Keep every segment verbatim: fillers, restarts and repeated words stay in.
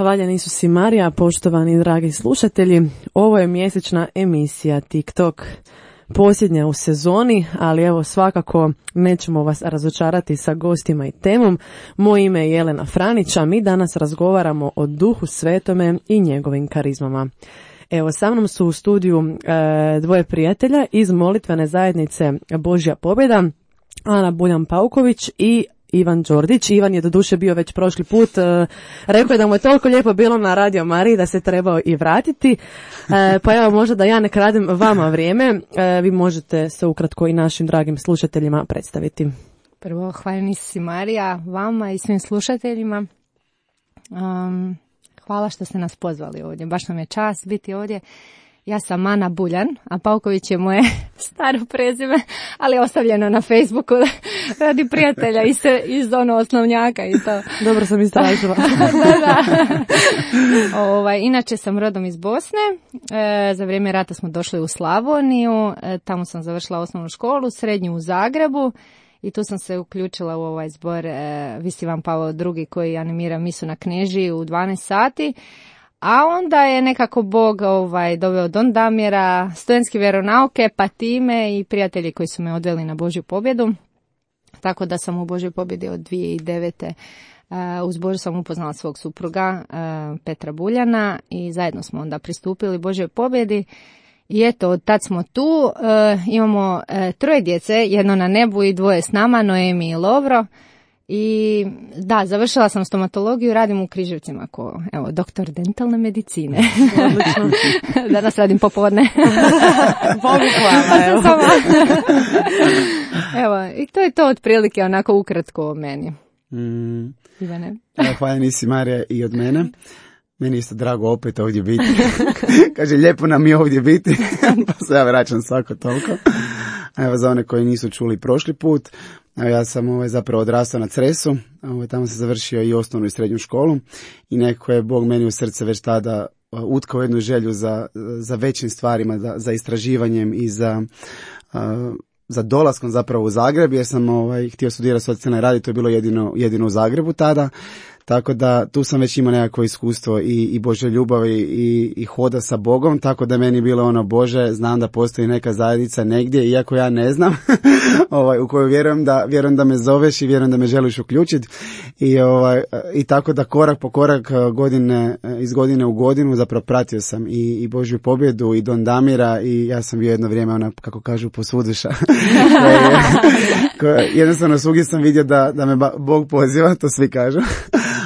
Hvaljen Isus i Marija, poštovani dragi slušatelji. Ovo je mjesečna emisija TikTok, posljednja u sezoni, ali evo svakako nećemo vas razočarati sa gostima i temom. Moje ime je Jelena Franić, a mi danas razgovaramo o Duhu Svetome i njegovim karizmama. Evo, sa mnom su u studiju e, dvoje prijatelja iz molitvene zajednice Božja pobjeda, Ana Buljan-Pauković i Ivan Đordić. Ivan je doduše bio već prošli put, e, rekao je da mu je toliko lijepo bilo na Radio Mariji da se trebao i vratiti, e, pa evo možda da ja ne kradem vama vrijeme, e, vi možete se ukratko i našim dragim slušateljima predstaviti. Prvo, hvaljen Isus i Marija, vama i svim slušateljima. Um, hvala što ste nas pozvali ovdje, baš nam je čast biti ovdje. Ja sam Ana Buljan, a Pauković je moje staro prezime, ali je ostavljeno na Facebooku radi prijatelja iz, iz ono osnovnjaka i to. Dobro sam istražila. da, da. Ovaj, inače sam rodom iz Bosne, e, za vrijeme rata smo došli u Slavoniju, e, tamo sam završila osnovnu školu, srednju u Zagrebu i tu sam se uključila u ovaj zbor e, Visi Ivan Pavao drugi koji animira misu na Knežiji u dvanaest sati. A onda je nekako Bog ovaj, doveo Don Damira, studentske vjeronauke, pa time i prijatelji koji su me odveli na Božju pobjedu. Tako da sam u Božjoj pobjedi od dvije tisuće devete. Uh, uz Božju sam upoznala svog supruga uh, Petra Buljana i zajedno smo onda pristupili Božjoj pobjedi. I eto, od tad smo tu, uh, imamo uh, troje djece, jedno na nebu i dvoje s nama, Noemi i Lovro. I da, završila sam stomatologiju, radim u Križevcima ko, evo, doktor dentalne medicine. Odlično. Danas radim popodne. Bogu hvala, evo. Evo, i to je to otprilike onako ukratko o meni. Mm. Ivane. Hvaljen Isus i Marija i od mene. Meni je isto drago opet ovdje biti. Kaže, lijepo nam je ovdje biti. Pa se ja vraćam svako toliko. Evo, za one koji nisu čuli prošli put, evo, ja sam ovaj, zapravo odrastao na Cresu, ovaj, tamo sam završio i osnovnu i srednju školu i neko je Bog meni u srce već tada utkao jednu želju za, za većim stvarima, za, za istraživanjem i za, uh, za dolaskom zapravo u Zagreb, jer sam ovaj, htio studirati socijalne radi, to je bilo jedino, jedino u Zagrebu tada. Tako da tu sam već imao nekako iskustvo i, i Božje ljubavi i, i hoda sa Bogom, tako da meni bilo ono, Bože, znam da postoji neka zajednica negdje, iako ja ne znam, ovaj, u koju vjerujem da, vjerujem da me zoveš i vjerujem da me želiš uključiti. I, ovaj, i tako da korak po korak, godine, iz godine u godinu zapravo pratio sam i, i Božju pobjedu i Don Damira i ja sam bio jedno vrijeme, ona, kako kažu, posvuduša. Jednostavno svugdje sam vidio da, da me Bog poziva, to svi kažu.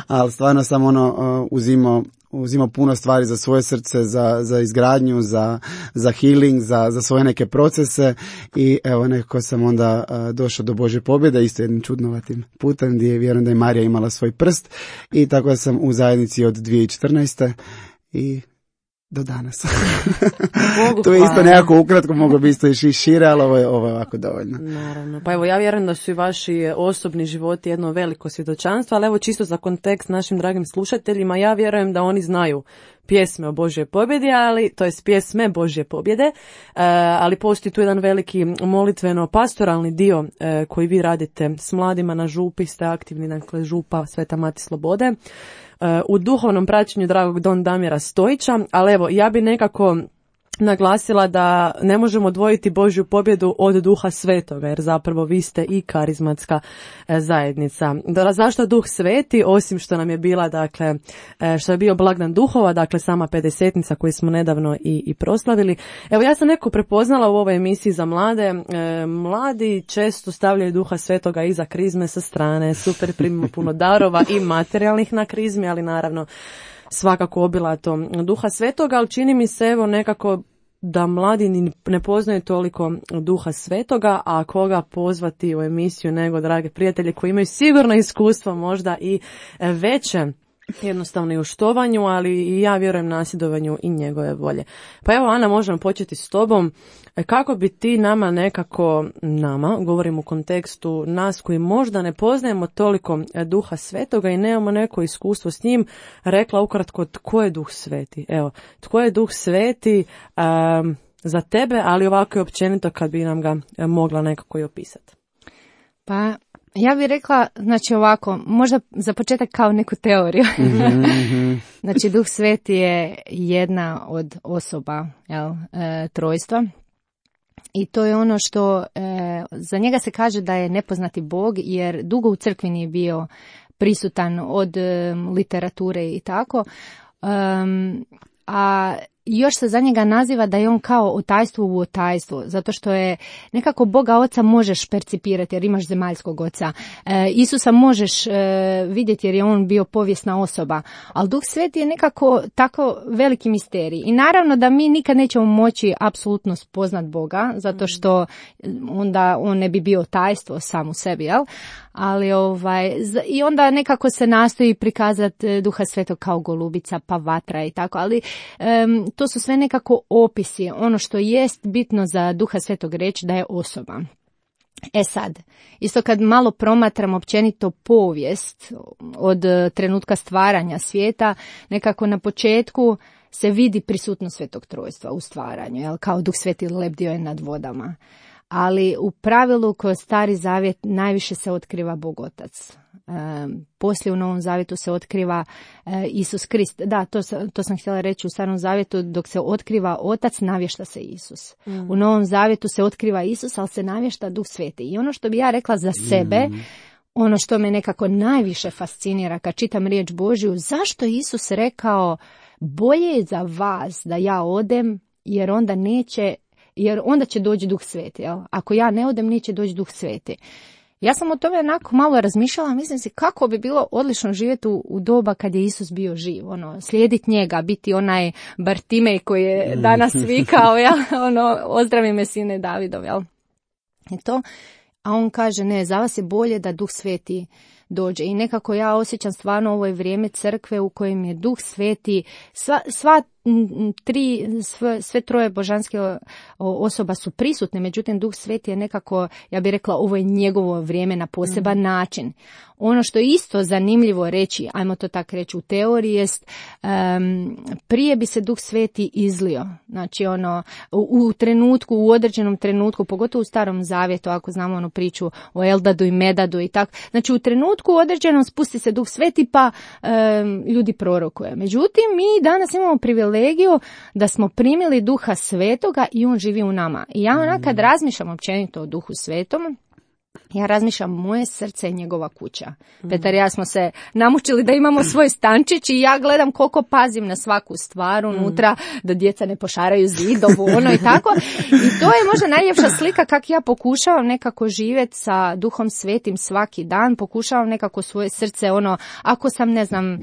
Ali stvarno sam ono uh, uzimao, uzimao puno stvari za svoje srce, za, za izgradnju, za, za healing, za, za svoje neke procese i evo nekako sam onda uh, došao do Božje pobjede, isto jednim čudnovatim putem gdje vjerujem da je Marija imala svoj prst i tako da sam u zajednici od dvije tisuće četrnaeste. i do danas. To je isto nekako ukratko, mogu bi isto i šire, ali ovo je, ovo je ovako dovoljno. Naravno. Pa evo, ja vjerujem da su i vaši osobni životi jedno veliko svjedočanstvo, ali evo čisto za kontekst našim dragim slušateljima, ja vjerujem da oni znaju pjesme o Božjoj pobjedi, ali to jest pjesme Božje pobjede, e, ali postoji tu jedan veliki molitveno-pastoralni dio e, koji vi radite s mladima na župi, ste aktivni, dakle župa Sveta Mati Slobode, e, u duhovnom praćenju dragog Don Damira Stojića, ali evo, ja bi nekako naglasila da ne možemo odvojiti Božju pobjedu od Duha Svetoga, jer zapravo vi ste i karizmatska e, zajednica. Da, zašto Duh Sveti, osim što nam je bila, dakle, e, što je bio blagdan duhova, dakle sama pedesetnica koju smo nedavno i, i proslavili. Evo, ja sam neko prepoznala u ovoj emisiji za mlade. E, mladi često stavljaju Duha Svetoga iza krizme sa strane, super, primimo puno darova i materijalnih na krizmi, ali naravno svakako obilato Duha Svetoga, ali čini mi se evo nekako da mladi ne poznaju toliko Duha Svetoga, a koga pozvati u emisiju nego drage prijatelje koji imaju sigurno iskustvo možda i veće jednostavno i u štovanju, ali i ja vjerujem nasljedovanju i njegove volje. Pa evo, Ana, možemo početi s tobom. Kako bi ti nama nekako, nama, govorim u kontekstu nas koji možda ne poznajemo toliko Duha Svetoga i nemamo neko iskustvo s njim, rekla ukratko tko je Duh Sveti? Evo, tko je Duh Sveti um, za tebe, ali ovako i općenito kad bi nam ga mogla nekako i opisati. Pa, Ja bih rekla, znači ovako, možda za početak kao neku teoriju. Mm-hmm. Znači, Duh Sveti je jedna od osoba, jel, e, trojstva. I to je ono što, e, za njega se kaže da je nepoznati Bog, jer dugo u crkvi nije bio prisutan od e, literature i tako. Um, a još se za njega naziva da je on kao otajstvo u otajstvu, zato što je nekako Boga Oca možeš percipirati jer imaš zemaljskog Oca. E, Isusa možeš e, vidjeti jer je on bio povijesna osoba, ali Duh Sveti je nekako tako veliki misterij. I naravno da mi nikad nećemo moći apsolutno spoznat Boga, zato što onda on ne bi bio tajstvo sam u sebi, jel? Ali ovaj, i onda nekako se nastoji prikazati Duha Svetog kao golubica, pa vatra i tako, ali um, to su sve nekako opisi. Ono što jest bitno za Duha Svetog reći da je osoba. E sad, isto kad malo promatram općenito povijest od trenutka stvaranja svijeta, nekako na početku se vidi prisutnost Svetog Trojstva u stvaranju, jel? Kao Duh Sveti lebdio je nad vodama. Ali u pravilu kroz Stari Zavjet najviše se otkriva Bog Otac. E, poslije u Novom Zavjetu se otkriva e, Isus Krist. Da, to, to sam htjela reći, u Starom Zavjetu dok se otkriva Otac, navješta se Isus. Mm. U Novom Zavjetu se otkriva Isus, ali se navješta Duh Sveti. I ono što bi ja rekla za sebe, mm. ono što me nekako najviše fascinira kad čitam riječ Božju, zašto je Isus rekao bolje je za vas da ja odem, jer onda neće jer onda će doći Duh Sveti, jel? Ako ja ne odem, neće doći Duh Sveti. Ja sam o tome onako malo razmišljala, mislim si kako bi bilo odlično živjeti u, u doba kad je Isus bio živ, ono, slijediti njega, biti onaj Bartimej koji je danas vikao, jel? Ono, ozdravi me sine Davidov, jel? I to, a on kaže, ne, za vas je bolje da Duh Sveti dođe. I nekako ja osjećam stvarno ovo je vrijeme crkve u kojem je Duh Sveti, sva, sva tri, sve, sve troje božanske osoba su prisutne, međutim Duh Sveti je nekako, ja bih rekla, ovo je njegovo vrijeme na poseban mm. način. Ono što je isto zanimljivo reći, ajmo to tako reći u teoriji, jest um, prije bi se Duh Sveti izlio. Znači ono, u, u trenutku, u određenom trenutku, pogotovo u Starom Zavjetu, ako znamo onu priču o Eldadu i Medadu i tako. Znači u trenutku određenom spusti se Duh Sveti pa um, ljudi prorokuje. Međutim, mi danas imamo privilegiju da smo primili Duha Svetoga i on živi u nama. I ja onak kad razmišljam općenito o Duhu Svetom, ja razmišljam, moje srce je njegova kuća. Mm. Petar i ja smo se namučili da imamo svoj stančić i ja gledam koliko pazim na svaku stvar unutra, mm. da djeca ne pošaraju zidovu, ono i tako. I to je možda najljepša slika kako ja pokušavam nekako živjeti sa Duhom Svetim svaki dan, pokušavam nekako svoje srce, ono, ako sam, ne znam,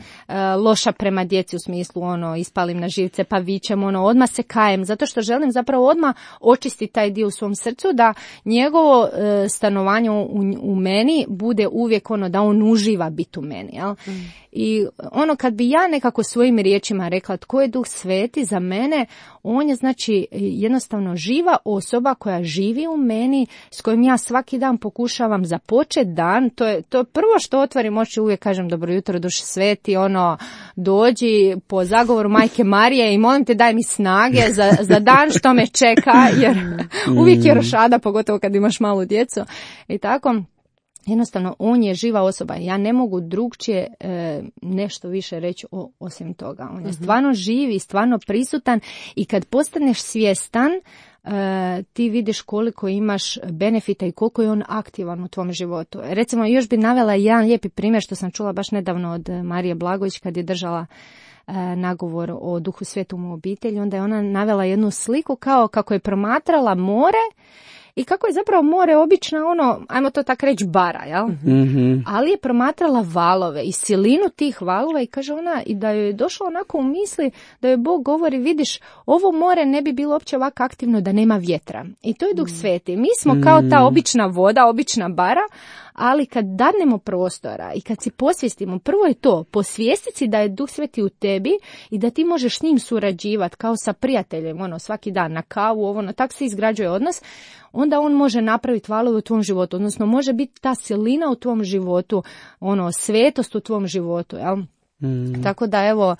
loša prema djeci u smislu, ono, ispalim na živce pa vičem, ono, odmah se kajem, zato što želim zapravo odmah očistiti taj dio u svom srcu, da njegovo e, stanovanje U, u meni bude uvijek ono da on uživa biti u meni, jel? Mm. I ono kad bi ja nekako svojim riječima rekla tko je Duh Sveti za mene, on je znači jednostavno živa osoba koja živi u meni, s kojim ja svaki dan pokušavam započeti dan. To je to je prvo što otvorim oči, uvijek kažem dobro jutro Duh Sveti, ono, dođi po zagovoru Majke Marije i molim te daj mi snage za, za dan što me čeka, jer uvijek je rošada, pogotovo kad imaš malu djecu i tako. Jednostavno, on je živa osoba. Ja ne mogu drugčije e, nešto više reći o, osim toga. On je stvarno živ i stvarno prisutan i kad postaneš svjestan, e, ti vidiš koliko imaš benefita i koliko je on aktivan u tvom životu. Recimo, još bi navela jedan lijepi primjer što sam čula baš nedavno od Marije Blagović kad je držala e, nagovor o Duhu Svetom u obitelji. Onda je ona navela jednu sliku kao kako je promatrala more i kako je zapravo more obična, ono, ajmo to tako reći, bara, jel? Mm-hmm. Ali je promatrala valove i silinu tih valova i kaže ona, i da joj je došlo onako u misli da joj Bog govori, vidiš, ovo more ne bi bilo uopće ovako aktivno da nema vjetra. I to je Duh Sveti. Mi smo kao ta obična voda, obična bara, ali kad dadnemo prostora i kad si posvijestimo, prvo je to, posvijestiti si da je Duh Sveti u tebi i da ti možeš s njim surađivati kao sa prijateljem, ono, svaki dan na kavu, ovo, no, tako se izgrađuje odnos, onda on može napraviti valove u tvom životu, odnosno može biti ta silina u tvom životu, ono, svetost u tvom životu, jel? Mm. Tako da, evo,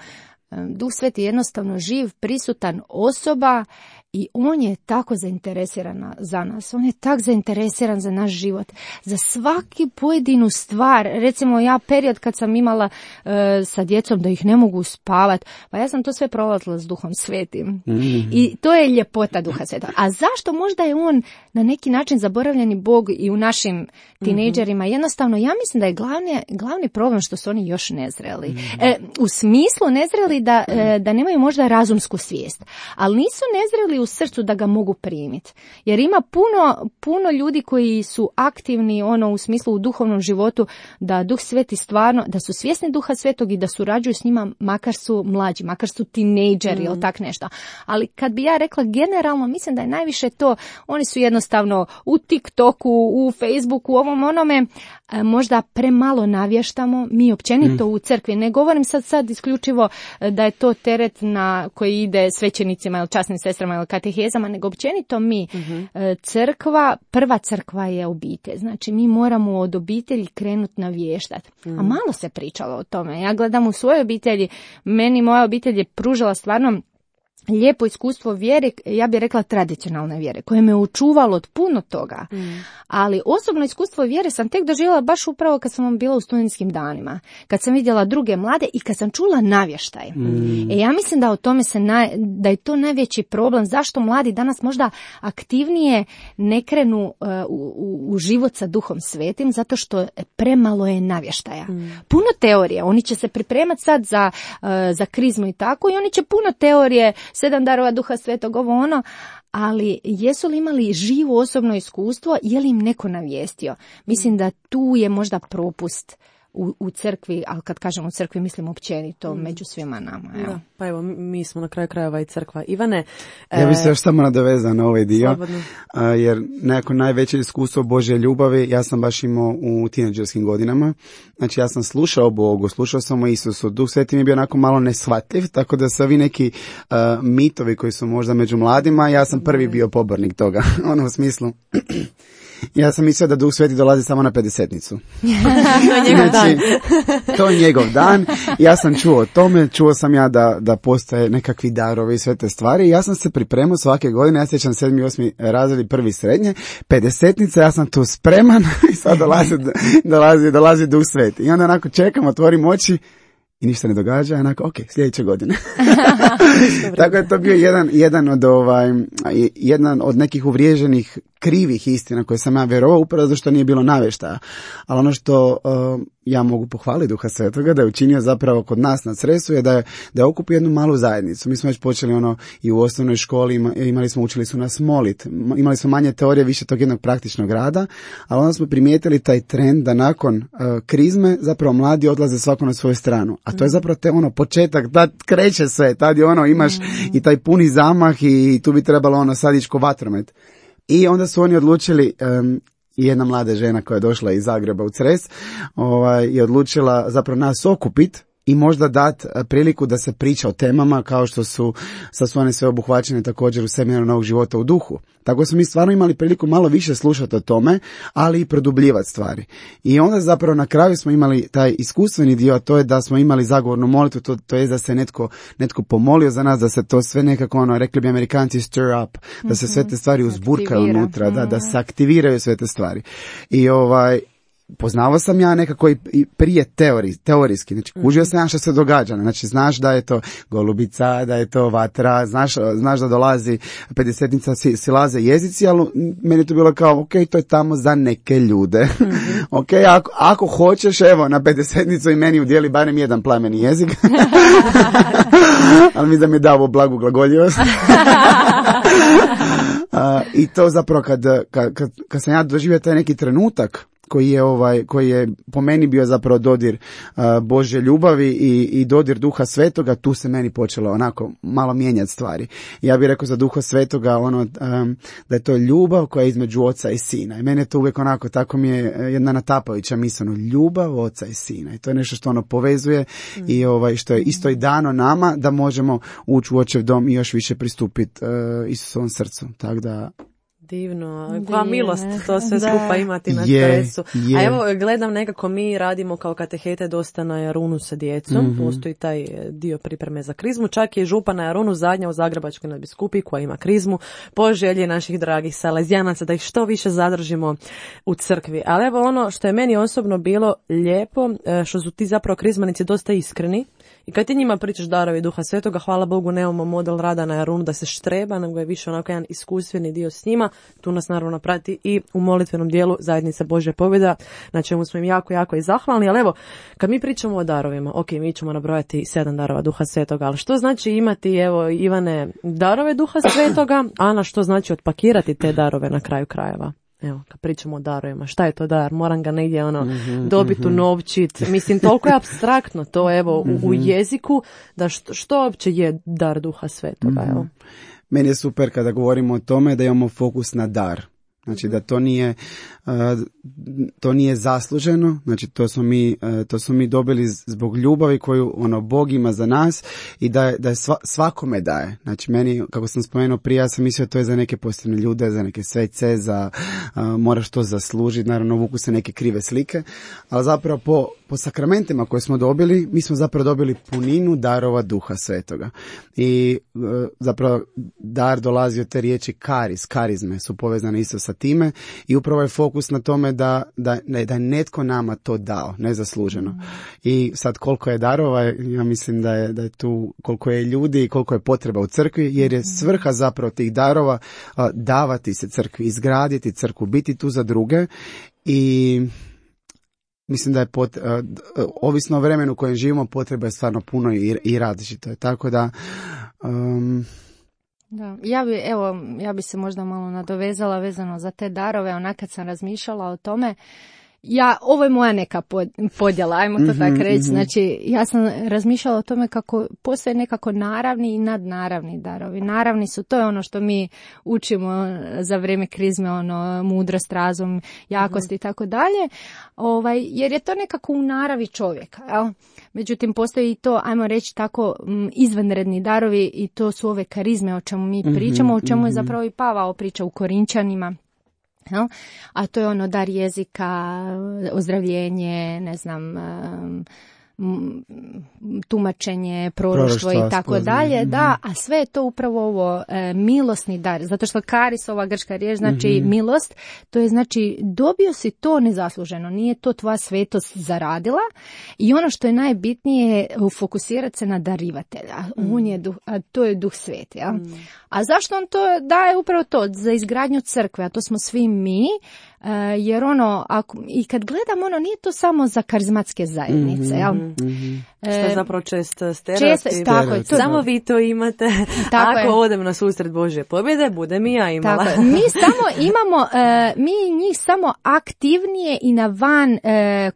Duh Sveti je jednostavno živ, prisutan osoba I on je tako zainteresiran za nas, on je tak zainteresiran za naš život, za svaki pojedinu stvar. Recimo ja period kad sam imala uh, sa djecom da ih ne mogu spavat, pa ja sam to sve prolazila s Duhom Svetim. Mm-hmm. I to je ljepota Duha Svetog. A zašto? Možda je on na neki način zaboravljeni Bog i u našim tinejdžerima. Mm-hmm. Jednostavno, ja mislim da je glavni, glavni problem što su oni još nezreli. Mm-hmm. E, u smislu nezreli da, e, da nemaju možda razumsku svijest, ali nisu nezreli u srcu da ga mogu primiti. Jer ima puno, puno ljudi koji su aktivni ono u smislu u duhovnom životu, da Duh Sveti stvarno, da su svjesni Duha Svetog i da surađuju s njima, makar su mlađi, makar su tinejdžeri mm. ili tak nešto. Ali kad bi ja rekla generalno, mislim da je najviše to, oni su jednostavno u TikToku, u Facebooku, u ovom onome, možda premalo navještamo, mi općenito mm. u crkvi. Ne govorim sad sad isključivo da je to teret na koji ide svećenicima ili časnim sestrama ili katehezama, nego općenito mi. Mm-hmm. Crkva, prva crkva je obitelj. Znači mi moramo od obitelji krenuti navještati. Mm. A malo se pričalo o tome. Ja gledam u svojoj obitelji, meni moja obitelj je pružala stvarno lijepo iskustvo vjere, ja bih rekla tradicionalne vjere, koje me očuvalo od puno toga. Mm. Ali osobno iskustvo vjere sam tek doživjela baš upravo kad sam bila u studentskim danima. Kad sam vidjela druge mlade i kad sam čula navještaj. Mm. E ja mislim da o tome se naj, da je to najveći problem. Zašto mladi danas možda aktivnije ne krenu uh, u, u život sa Duhom Svetim? Zato što premalo je navještaja. Mm. Puno teorije. Oni će se pripremati sad za, uh, za krizmu i tako i oni će puno teorije, sedam darova Duha Svetog, ovo ono, ali jesu li imali živo osobno iskustvo, je li im neko navijestio? Mislim da tu je možda propust u, u crkvi, ali kad kažem u crkvi mislim općenito mm. među svima nama. Da, pa evo, mi smo na kraju krajeva i crkva. Ivane. Ja bih se još samo nadovezao na ovaj dio, a, jer nekako najveće iskustvo Božje ljubavi ja sam baš imao u tinejdžerskim godinama. Znači ja sam slušao Bogu, slušao sam o Isusu, Duh Sveti mi je bio onako malo neshvatljiv, tako da su ovi neki uh, mitovi koji su možda među mladima, ja sam prvi bio pobornik toga, ono u smislu. Ja sam mislio da Duh Sveti dolazi samo na pedesetnicu. To je njegov znači, dan. To je njegov dan. Ja sam čuo o tome, čuo sam ja da, da postoje nekakvi darovi i sve te stvari. Ja sam se pripremao svake godine, ja sjećam sedmi, osmi razred, prvi srednje, pedesetnica, ja sam tu spreman i sad dolazi, dolazi, dolazi Duh Sveti. I onda onako čekam, otvorim oči i ništa ne događa, onako, ok, sljedeće godine. Tako je to bio jedan, jedan od ovaj, jedan od nekih uvriježenih krivih istina koje sam ja vjerovao, upravo zato što nije bilo navještaja. Ali ono što uh, ja mogu pohvaliti Duha Svetoga da je učinio zapravo kod nas na Cresu je da je, da je okupio jednu malu zajednicu. Mi smo već počeli ono i u osnovnoj školi, imali smo, učili su nas molit, imali smo manje teorije, više tog jednog praktičnog rada, ali onda smo primijetili taj trend da nakon uh, krizme zapravo mladi odlaze svako na svoju stranu. A to je zapravo te ono početak, tad kreće sve, tad je ono imaš mm. i taj puni zamah i tu bi trebalo ono sad ići ko vatromet. I onda su oni odlučili, um, jedna mlada žena koja je došla iz Zagreba u Cres, ovaj, je odlučila zapravo nas okupiti i možda dati priliku da se priča o temama kao što su, sad su one sve obuhvaćene također u seminaru Novog života u duhu. Tako smo mi stvarno imali priliku malo više slušati o tome, ali i produbljivati stvari. I onda zapravo na kraju smo imali taj iskustveni dio, a to je da smo imali zagovornu molitvu, to, to je da se netko, netko pomolio za nas, da se to sve nekako, ono, rekli bi Amerikanci stir up, da se sve te stvari uzburkaju unutra, da, da se aktiviraju sve te stvari. I ovaj, poznavao sam ja nekako i prije teori, teorijski, znači kužio sam ja što se događa, znači znaš da je to golubica, da je to vatra, znaš, znaš da dolazi pedesetnica, si, silaze jezici, ali meni je to bilo kao, ok, to je tamo za neke ljude. Mm-hmm. Ok, ako, ako hoćeš, evo, na pedesetnicu i meni udijeli barem jedan plemeni jezik. Ali mi da mi je dao blagu glagoljivost. uh, I to zapravo kad, kad, kad, kad sam ja doživio taj neki trenutak, koji je ovaj koji je po meni bio zapravo dodir uh, Božje ljubavi i, i dodir Duha Svetoga, tu se meni počelo onako malo mijenjati stvari. Ja bih rekao za Duha Svetoga ono um, da je to ljubav koja je između oca i sina. I meni je to uvijek onako, tako mi je jedna natapajuća misao, ljubav oca i sina. I to je nešto što ono povezuje mm. i ovaj što je isto i dano nama da možemo ući u očev dom i još više pristupiti uh, Isusovom srcu. Tako da Divno, koja milost to sve da. skupa imati na Je, stresu. je. A evo, gledam nekako mi radimo kao katehete dosta na Jarunu sa djecom, Mhm. postoji taj dio pripreme za krizmu, čak je župa na Jarunu zadnja u Zagrebačkoj nadbiskupi koja ima krizmu, po želji naših dragih salezijanaca da ih što više zadržimo u crkvi. Ali evo ono što je meni osobno bilo lijepo, što su ti zapravo krizmanici dosta iskreni. I kad ti njima pričaš darovi Duha Svetoga, hvala Bogu nemamo model rada na Jarunu da se štreba, nego je više onako jedan iskustveni dio s njima. Tu nas naravno prati i u molitvenom dijelu Zajednica Božja pobjeda, na čemu smo im jako, jako i zahvalni. Ali evo, kad mi pričamo o darovima, ok, mi ćemo nabrojati sedam darova Duha Svetoga, ali što znači imati, evo, Ivane, darove Duha Svetoga, Ana, što znači otpakirati te darove na kraju krajeva? Evo, kad pričamo o darovima, šta je to dar? Moram ga negdje ono, mm-hmm, dobiti mm-hmm. u novčit. Mislim, toliko je apstraktno to, evo, mm-hmm. u, u jeziku, da što, što uopće je dar Duha Svetoga, evo. Meni je super kada govorimo o tome da imamo fokus na dar. Znači da to nije, uh, to nije zasluženo, znači to smo mi, uh, to smo mi dobili zbog ljubavi koju ono Bog ima za nas i da, da je sva, svakome daje. Znači meni, kako sam spomenuo prije, ja sam mislio to je za neke posebne ljude, za neke svece, za uh, moraš to zaslužiti, naravno vuku se neke krive slike, ali zapravo po, po sakramentima koje smo dobili, mi smo zapravo dobili puninu darova Duha Svetoga. I uh, zapravo dar dolazi od te riječi karis, karizme su povezane isto sa time i upravo je fokus na tome da, da, da je netko nama to dao, nezasluženo. Mm. I sad koliko je darova, ja mislim da je, da je tu koliko je ljudi i koliko je potreba u crkvi, jer je svrha zapravo tih darova a, davati se crkvi, izgraditi crkvu, biti tu za druge i mislim da je pot, a, ovisno o vremenu u kojem živimo potreba je stvarno puno i, i različito je. Tako da um, Da, ja bi, evo, ja bi se možda malo nadovezala vezano za te darove, onak kad sam razmišljala o tome, ja, ovo je moja neka podjela, ajmo to mm-hmm, tako reći, mm-hmm. Znači ja sam razmišljala o tome kako postoje nekako naravni i nadnaravni darovi. Naravni su, to je ono što mi učimo za vrijeme krizme, ono, mudrost, razum, jakost i mm-hmm. tako dalje, ovaj, jer je to nekako u naravi čovjeka, jel? Međutim, postoji i to, ajmo reći tako, izvanredni darovi i to su ove karizme o čemu mi pričamo, o čemu je zapravo i Pavao priča u Korinčanima. No? A to je ono dar jezika, ozdravljenje, ne znam, um, tumačenje, proroštvo i tako dalje, da, a sve je to upravo ovo e, milosni dar, zato što karis, ova grčka riječ, znači mm-hmm. milost, to je znači dobio si to nezasluženo, nije to tvoja svetost zaradila i ono što je najbitnije je fokusirati se na darivatelja, mm. on je duh, a to je Duh Sveti, ja? Mm. A zašto on to daje upravo to? Za izgradnju crkve, a to smo svi mi, uh, jer ono, ako, i kad gledam, ono, nije to samo za karizmatske zajednice, mm-hmm, jel? Mm-hmm. Što je zapravo često stereotip. Čest, tako je. To, samo vi to imate. Tako ako je. Odem na susret Božje pobjede, budem i ja imala. Tako mi samo imamo, uh, mi njih samo aktivnije i na van uh,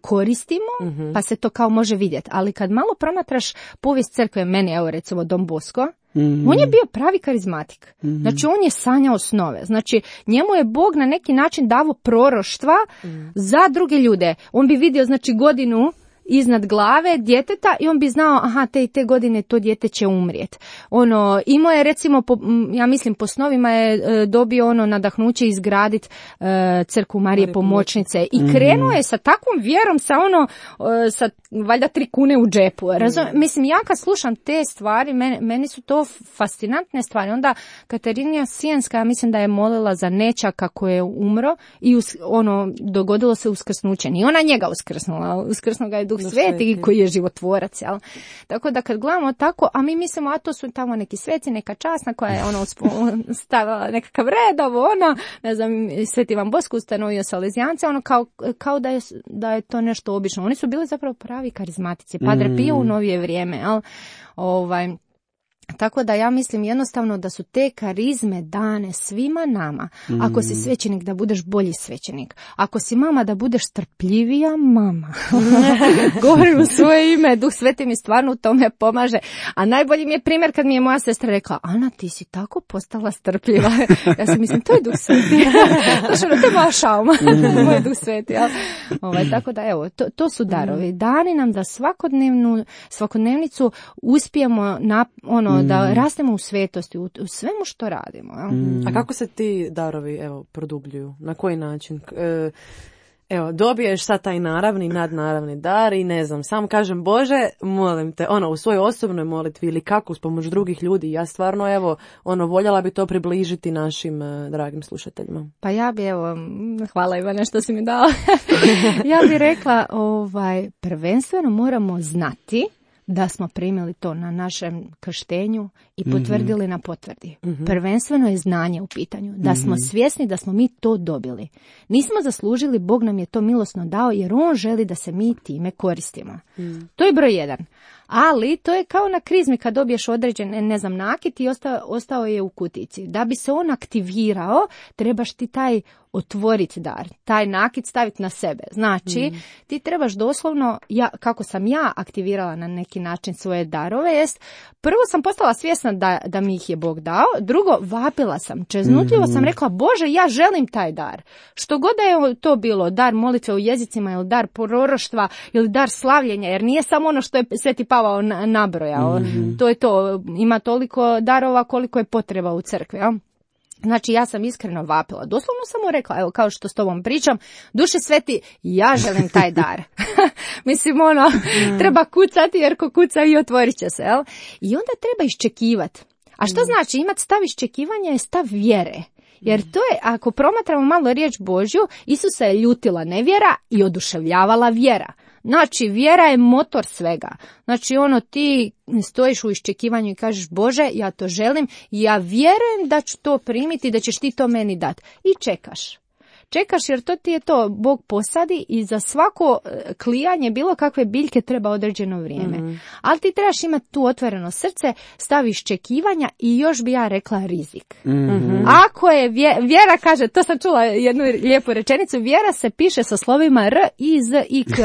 koristimo, mm-hmm. pa se to kao može vidjeti. Ali kad malo promatraš povijest crkve, meni, evo recimo Don Bosco, mm-hmm. on je bio pravi karizmatik. Mm-hmm. Znači on je sanjao snove. Znači njemu je Bog na neki način davo proroštva mm. za druge ljude. On bi vidio znači godinu iznad glave djeteta i on bi znao, aha, te i te godine to dijete će umrijeti. Ono, imao je recimo, po, ja mislim po snovima je e, dobio ono nadahnuće izgraditi e, crkvu Marije Pomoćnice i krenuo je sa takvom vjerom, sa ono, e, sa valjda tri kune u džepu. Razum, mislim, ja kad slušam te stvari, meni, meni su to fascinantne stvari. Onda Katarina Sijenska, ja mislim da je molila za nećaka koji je umro i us, ono, dogodilo se uskrsnuće. Nije ona njega uskrsnula, uskrsnuo ga je Duh Sveti koji je životvorac, jel? Tako da kad gledamo tako, a mi mislimo, a to su tamo neki sveci, neka časna koja je ono stavila nekakav red, ovo ono, ne znam, Sveti Ivan Bosko ustanovio salezijance, ono kao, kao da, je, da je to nešto obično. Oni su bili zapravo pravi karizmatici, Padre mm. Pio u novije vrijeme, jel? Ovaj... Tako da ja mislim jednostavno da su te karizme dane svima nama. Mm. Ako si svećenik, da budeš bolji svećenik. Ako si mama, da budeš strpljivija mama. Govorim u svoje ime, Duh Sveti mi stvarno u tome pomaže. A najbolji mi je primjer kad mi je moja sestra rekla, Ana, ti si tako postala strpljiva. Ja sam mislim, to je Duh Sveti. Znači, to je moja šauma, moj Duh Sveti. Ja. Ovaj, tako da, evo, to, to su darovi. Dani nam da svakodnevnu, svakodnevnicu uspijemo na, ono, mm. da rastemo u svetosti, u, u svemu što radimo. Mm. A kako se ti darovi, evo, produbljuju? Na koji način? E, Evo, dobiješ sad taj naravni, nadnaravni dar i ne znam, sam kažem Bože, molim te, ono, u svojoj osobnoj molitvi ili kako s pomoć drugih ljudi, ja stvarno, evo, ono, voljela bi to približiti našim uh, dragim slušateljima. Pa ja bi, evo, hvala Ivane što si mi dala, ja bi rekla, ovaj, prvenstveno moramo znati da smo primili to na našem krštenju i potvrdili mm-hmm. na potvrdi. Mm-hmm. Prvenstveno je znanje u pitanju. Da mm-hmm. smo svjesni da smo mi to dobili. Nismo zaslužili, Bog nam je to milosno dao jer On želi da se mi time koristimo. Mm. To je broj jedan. Ali to je kao na krizmi kad dobiješ određen, ne znam, nakit i ostao, ostao je u kutici. Da bi se on aktivirao, trebaš ti taj otvoriti dar, taj nakit staviti na sebe. Znači, mm. ti trebaš doslovno, ja, kako sam ja aktivirala na neki način svoje darove, jest, prvo sam postala svjesna da, da mi ih je Bog dao, drugo, vapila sam, čeznutljivo mm. sam rekla, Bože, ja želim taj dar. Što god da je to bilo, dar molitve u jezicima ili dar proroštva ili dar slavljenja, jer nije samo ono što je Sveti Pavao nabrojao. Mm. To je to, ima toliko darova koliko je potreba u crkvi, ja? Znači, ja sam iskreno vapila. Doslovno sam mu rekla, evo, kao što s tobom pričam, Duše sveti, ja želim taj dar. Mislim, ono, mm. treba kucati, jer ko kuca i otvorit će se, jel? I onda treba iščekivati. A što mm. znači? Imati stav iščekivanja je stav vjere. Jer to je, ako promatramo malo riječ Božju, Isusa je ljutila nevjera i oduševljavala vjera. Znači, vjera je motor svega. Znači, ono, ti stojiš u iščekivanju i kažeš, Bože, ja to želim i ja vjerujem da ću to primiti, da ćeš ti to meni dati. I čekaš. Čekaš jer to ti je to, Bog posadi i za svako klijanje bilo kakve biljke treba određeno vrijeme. Mm-hmm. Ali ti trebaš imati tu otvoreno srce, staviš čekivanja i još bi ja rekla rizik. Mm-hmm. Ako je vjera, vjera kaže, to sam čula jednu lijepu rečenicu, vjera se piše sa slovima R, I, Z, I, K.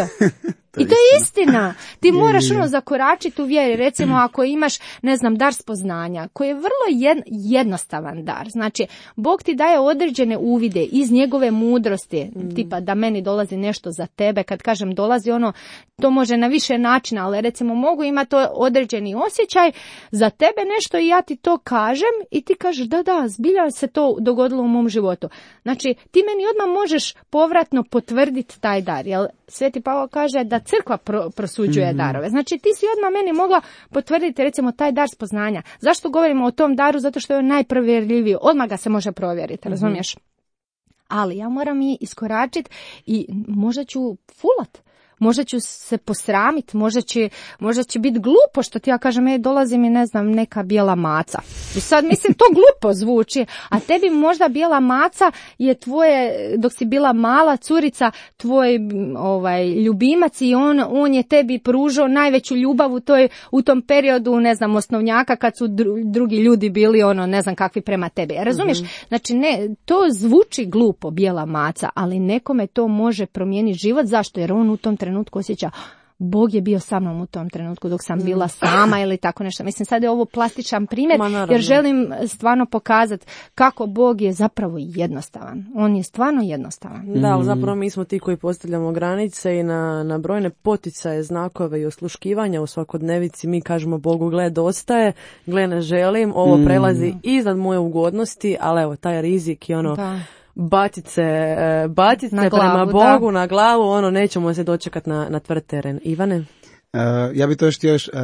I to je istina. Ti moraš ono zakoračiti u vjeri. Recimo ako imaš, ne znam, dar spoznanja, koji je vrlo jednostavan dar. Znači, Bog ti daje određene uvide iz njegove mudrosti. Mm. Tipa da meni dolazi nešto za tebe. Kad kažem dolazi ono, to može na više načina, ali recimo mogu imati određeni osjećaj za tebe nešto i ja ti to kažem i ti kažeš da, da, zbilja se to dogodilo u mom životu. Znači, ti meni odmah možeš povratno potvrditi taj dar. Jel Sveti Pavao kaže da crkva pro, prosuđuje mm-hmm. darove. Znači, ti si odmah meni mogla potvrditi, recimo, taj dar spoznanja. Zašto govorimo o tom daru? Zato što je najprovjerljiviji. Odmah ga se može provjeriti, mm-hmm. razumiješ? Ali ja moram i iskoračiti i možda ću fulat. Možda ću se posramiti, možda će, možda će biti glupo što ti ja kažem, ej, dolazi mi, ne znam, neka bijela maca. I sad, mislim, to glupo zvuči, a tebi možda bijela maca je tvoje, dok si bila mala curica, tvoj ovaj, ljubimac i on, on je tebi pružao najveću ljubav u, toj, u tom periodu, ne znam, osnovnjaka, kad su dru, drugi ljudi bili, ono, ne znam kakvi prema tebi. Razumiješ? Mm-hmm. Znači, ne, to zvuči glupo, bijela maca, ali nekome to može promijeniti život. Zašto? Jer on u tom trenutku trenutku osjeća, Bog je bio sa mnom u tom trenutku dok sam bila sama ili tako nešto. Mislim, sad je ovo plastičan primjer jer želim stvarno pokazati kako Bog je zapravo jednostavan. On je stvarno jednostavan. Da, ali zapravo mi smo ti koji postavljamo granice i na, na brojne poticaje, znakove i osluškivanja u svakodnevici mi kažemo Bogu, gle, dosta je, gle, ne želim, ovo mm. prelazi iznad moje ugodnosti, ali evo, taj rizik i ono... Da. Bacit se, bacit se prema Bogu da. Na glavu, ono, nećemo se dočekati na, na tvrd teren. Ivane? Uh, ja bih to još htio još, uh,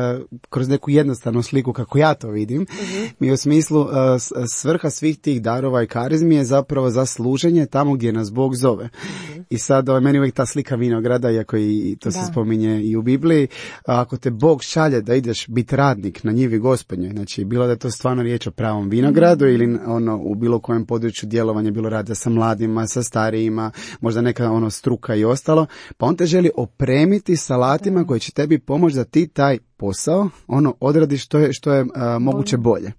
kroz neku jednostavnu sliku kako ja to vidim. Uh-huh. Mi u smislu uh, svrha svih tih darova i karizmi je zapravo za služenje tamo gdje nas Bog zove. Uh-huh. I sad uh, meni uvijek ta slika vinograda, iako i to da. Se spominje i u Bibliji, uh, ako te Bog šalje da ideš biti radnik na njivi Gospodnjoj, znači bilo da je to stvarno riječ o pravom vinogradu uh-huh. ili ono u bilo kojem području djelovanja, bilo rada sa mladima, sa starijima, možda neka ono struka i ostalo, pa on te želi opremiti sa alatima uh-huh. koje će tebi tebi pomoći da ti taj posao ono odradiš što je, što je uh, moguće bolje.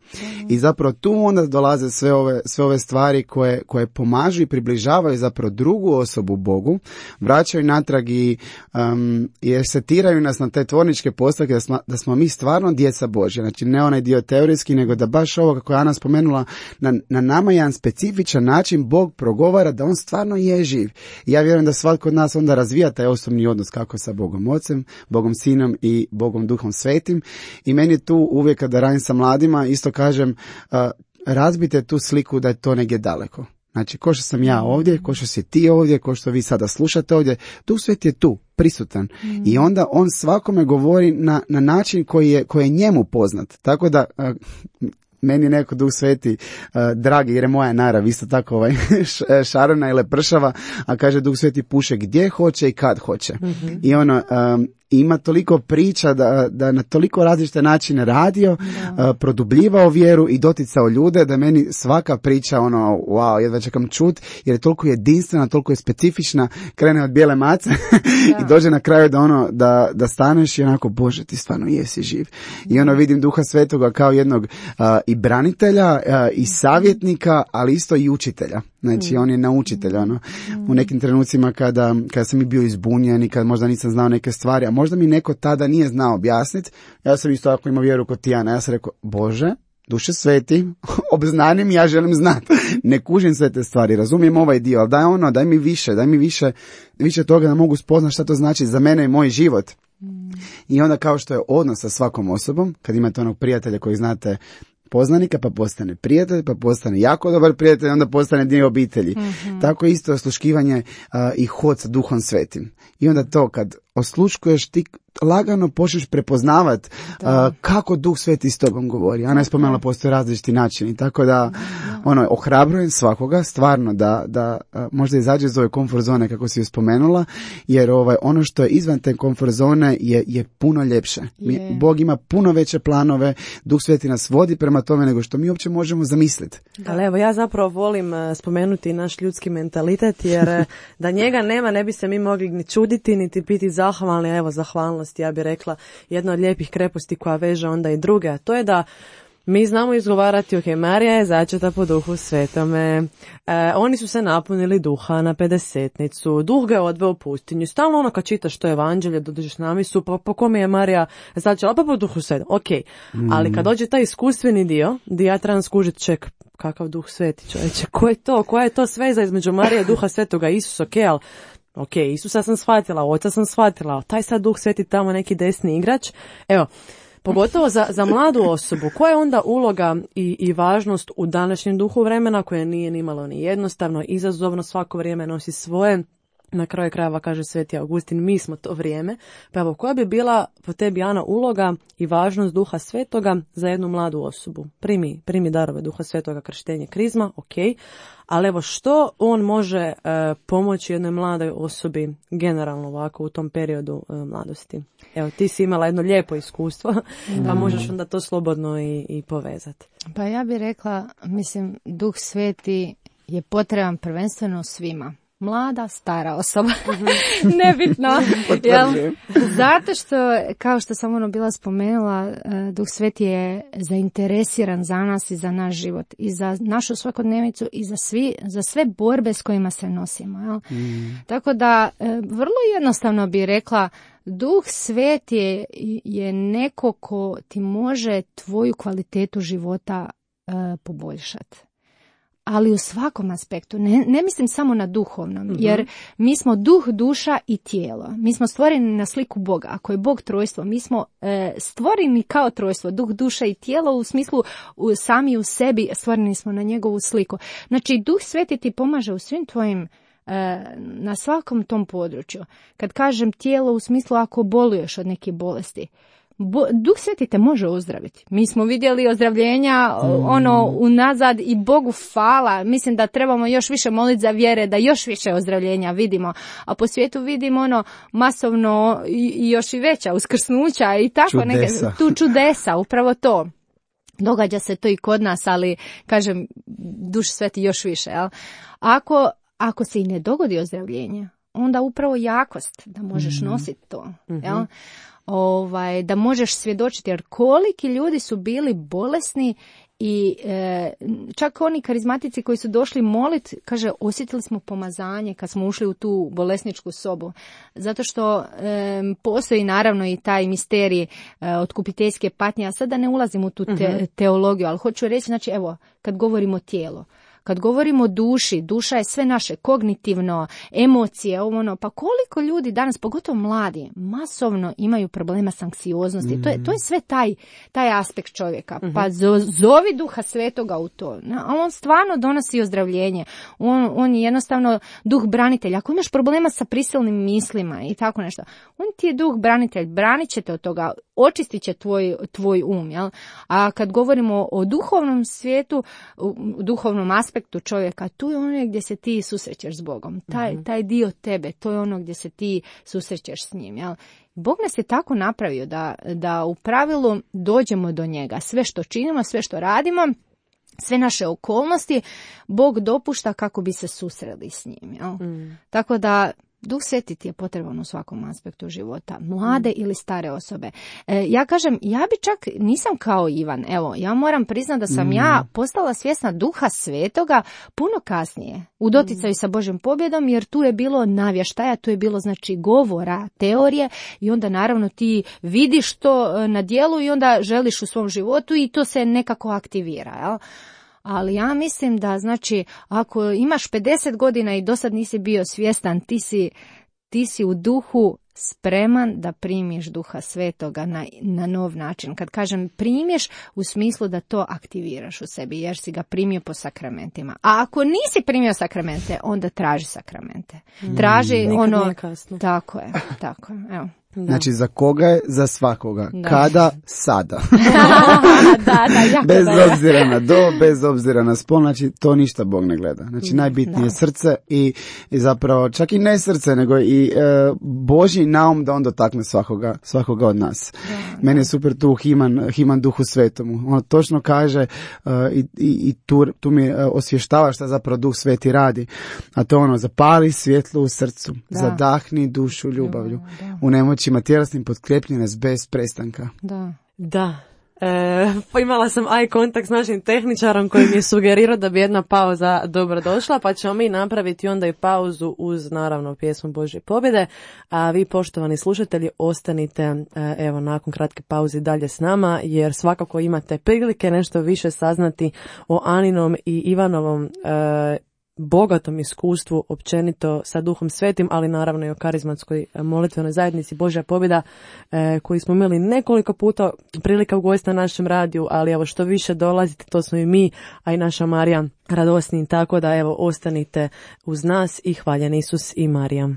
I zapravo tu onda dolaze sve ove, sve ove stvari koje, koje pomažu i približavaju zapravo drugu osobu Bogu, vraćaju natrag i, um, i setiraju nas na te tvorničke postavke da smo, da smo mi stvarno djeca Božja. Znači ne onaj dio teorijski, nego da baš ovo kako je Ana spomenula, na, na nama jedan specifičan način Bog progovara da on stvarno je živ. I ja vjerujem da svatko od nas onda razvija taj osobni odnos kako sa Bogom Ocem, Bogom Sinom i Bogom Duhom Svetim. I meni je tu uvijek kada radim sa mladima isto kažem uh, razbite tu sliku da je to negdje daleko. Znači, ko što sam ja ovdje, ko što si ti ovdje, ko što vi sada slušate ovdje, Duh Sveti je tu, prisutan. Mm. I onda on svakome govori na, na način koji je, koji je njemu poznat. Tako da... Uh, meni neko Duh Sveti uh, dragi, jer je moja narav isto tako ovaj, šarena i lepršava, a kaže Duh Sveti puše gdje hoće i kad hoće. Mm-hmm. I ono, um, ima toliko priča da, da na toliko različite načine radio, uh, produbljivao vjeru i doticao ljude, da meni svaka priča, ono, wow, jedva čekam čut, jer je toliko jedinstvena, toliko je specifična, krene od bijele mace i dođe na kraju da ono, da, da staneš i onako, Bože, ti stvarno jesi živ. Mm. I ono, vidim Duha Svetoga kao jednog uh, i branitelja, uh, i savjetnika, ali isto i učitelja. Znači, mm. on je naučitelj, ono, mm. u nekim trenucima kada, kada sam i bio izbunjen i kada možda nisam znao neke stvari, a možda mi neko tada nije znao objasniti, ja sam isto ako imao vjeru kod Tijana, ja sam rekao, Bože, Duše Sveti, obznanim, ja želim znati, ne kužim sve te stvari, razumijem ovaj dio, ali daj ono, daj mi više, daj mi više, više toga da mogu spoznati šta to znači za mene i moj život. Mm. I onda kao što je odnos sa svakom osobom, kad imate onog prijatelja koji znate poznanika, pa postane prijatelj, pa postane jako dobar prijatelj, onda postane dio obitelji. Mm-hmm. Tako isto osluškivanje uh, i hod sa Duhom Svetim. I onda to kad osluškuješ, ti lagano počneš prepoznavat uh, kako Duh Sveti s tobom govori. Ana je spomenula, postoje različiti načini. Tako da, ono, ohrabrujem svakoga, stvarno, da, da uh, možda izađe iz ove komfort zone, kako si ju spomenula, jer ovaj, ono što je izvan te komfort zone je, je puno ljepše. Mi, Bog ima puno veće planove, Duh Sveti nas vodi prema tome nego što mi uopće možemo zamisliti. Ali evo, ja zapravo volim uh, spomenuti naš ljudski mentalitet, jer uh, da njega nema, ne bi se mi mogli ni čuditi, niti biti zahvalni. Evo, zahvalnost, ja bih rekla, jedna od lijepih kreposti koja veže onda i druge, a to je da mi znamo izgovarati, ok, Marija je začeta po Duhu Svetome, e, oni su se napunili duha na pedesetnicu, Duh ga je odveo u pustinju, stalno ono kad čitaš to evanđelje, dođeš na misu, pa po kome je Marija začela, pa po Duhu Svetom, ok, mm. ali kad dođe taj iskustveni dio, gdje ja trebam skužiti, ček, kakav Duh Sveti, čovječe, ko je to, koja je to sveza između Marije, Duha Svetoga, Isus, ok, ali ok, Isusa sam shvatila, oca sam shvatila, taj sad Duh Sveti tamo neki desni igrač. Evo, pogotovo za, za mladu osobu, koja je onda uloga i, i važnost u današnjem duhu vremena, koje nije nimalo ni jednostavno, izazovno, svako vrijeme nosi svoje. Na kraju krajeva, kaže Sveti Augustin, mi smo to vrijeme. Pa evo, koja bi bila po tebi, Ana, uloga i važnost Duha Svetoga za jednu mladu osobu? Primi, primi darove Duha Svetoga, krštenje, krizma, ok. Ali evo, što on može e, pomoći jednoj mladoj osobi generalno ovako u tom periodu e, mladosti? Evo, ti si imala jedno lijepo iskustvo, pa možeš onda to slobodno i, i povezati. Pa ja bih rekla, mislim, Duh Sveti je potreban prvenstveno svima. Mlada, stara osoba, nebitno, jel? Zato što, kao što sam ono bila spomenula, Duh Sveti je zainteresiran za nas i za naš život i za našu svakodnevicu i za, svi, za sve borbe s kojima se nosimo. Jel? Mm. Tako da, vrlo jednostavno bih rekla, Duh Sveti je, je neko ko ti može tvoju kvalitetu života uh, poboljšati. Ali u svakom aspektu, ne, ne mislim samo na duhovnom, mm-hmm. jer mi smo duh, duša i tijelo. Mi smo stvoreni na sliku Boga. Ako je Bog trojstvo, mi smo e, stvoreni kao trojstvo, duh, duša i tijelo, u smislu u, sami u sebi stvoreni smo na njegovu sliku. Znači, Duh Sveti ti pomaže u svim tvojim, e, na svakom tom području. Kad kažem tijelo, u smislu ako boluješ od neke bolesti, Bo, Duh Sveti te može ozdraviti. Mi smo vidjeli ozdravljenja mm. ono unazad i Bogu hvala. Mislim da trebamo još više moliti za vjere, da još više ozdravljenja vidimo. A po svijetu vidimo ono masovno i, i još i veća uskrsnuća i tako čudesa. Neke tu čudesa, upravo to. Događa se to i kod nas, ali kažem, Duh Sveti još više. Jel? Ako, ako se i ne dogodi ozdravljenje, onda upravo jakost da možeš mm-hmm. nositi to. Mm-hmm. Jel? Ovaj, da možeš svjedočiti, jer koliki ljudi su bili bolesni i e, čak oni karizmatici koji su došli molit, kaže, osjetili smo pomazanje kad smo ušli u tu bolesničku sobu. Zato što e, postoji naravno i taj misterij e, otkupiteljske patnje, a sad da ne ulazim u tu te, teologiju, ali hoću reći, znači, evo, kad govorimo tijelo, kad govorimo o duši, duša je sve naše, kognitivno, emocije, ovo ono, pa koliko ljudi danas, pogotovo mladi, masovno imaju problema s anksioznosti. Mm-hmm. To je, to je sve taj, taj aspekt čovjeka. Mm-hmm. Pa zovi Duha Svetoga u to. A on stvarno donosi ozdravljenje. On, on je jednostavno duh branitelj. Ako imaš problema sa prisilnim mislima i tako nešto, on ti je duh branitelj, branit će te od toga, očistit će tvoj, tvoj um. Jel? A kad govorimo o duhovnom svijetu, duhovnom aspektu čovjeka, tu je ono gdje se ti susrećeš s Bogom. Taj, mm-hmm. taj dio tebe, to je ono gdje se ti susrećeš s njim. Jel? Bog nas je tako napravio da, da u pravilu dođemo do njega. Sve što činimo, sve što radimo, sve naše okolnosti, Bog dopušta kako bi se susreli s njim. Jel? Mm. Tako da Duh Sveti ti je potreban u svakom aspektu života, mlade mm. ili stare osobe. E, ja kažem, ja bi čak, nisam kao Ivan, evo, ja moram priznati da sam mm. ja postala svjesna Duha Svetoga puno kasnije, u doticaju mm. sa Božjom pobjedom, jer tu je bilo navještaja, tu je bilo znači govora, teorije i onda naravno ti vidiš to na djelu i onda želiš u svom životu i to se nekako aktivira, jel? Ali ja mislim da, znači, ako imaš pedeset godina i do sad nisi bio svjestan, ti si, ti si u duhu spreman da primiš Duha Svetoga na, na nov način. Kad kažem primiš, u smislu da to aktiviraš u sebi, jer si ga primio po sakramentima. A ako nisi primio sakramente, onda traži sakramente. Traži mm, ono... Tako je, tako je, evo. Da. Znači, za koga je? Za svakoga. Da. Kada? Sada. da, da, jako bez da. obzira na do, bez obzira na spol, znači to ništa Bog ne gleda. Znači, najbitnije je srce i, i zapravo, čak i ne srce, nego i e, Božji naum da on dotakne svakoga, svakoga od nas. Da, Meni je super tu Himan, Himan Duhu Svetomu. On točno kaže uh, i, i, i tu, tu mi uh, osvještava šta zapravo Duh Sveti radi. A to ono, zapali svjetlo u srcu, da. Zadahni dušu ljubavlju. Da. U nemoćima tjelesnim potkrijeplji nas bez prestanka. Da. Da. E, pa imala sam eye kontakt s našim tehničarom koji mi je sugerirao da bi jedna pauza dobro došla, pa ćemo mi napraviti onda i pauzu uz naravno pjesmu Božje pobjede, a vi poštovani slušatelji ostanite evo nakon kratke pauze dalje s nama, jer svakako imate prilike nešto više saznati o Aninom i Ivanovom e, bogatom iskustvu općenito sa Duhom Svetim, ali naravno i o karizmatskoj molitvenoj zajednici Božja pobjeda e, koji smo imali nekoliko puta prilika ugostiti na našem radiju, ali evo što više dolazite, to smo i mi, a i naša Marija radosni, tako da evo ostanite uz nas i hvaljen Isus i Marija.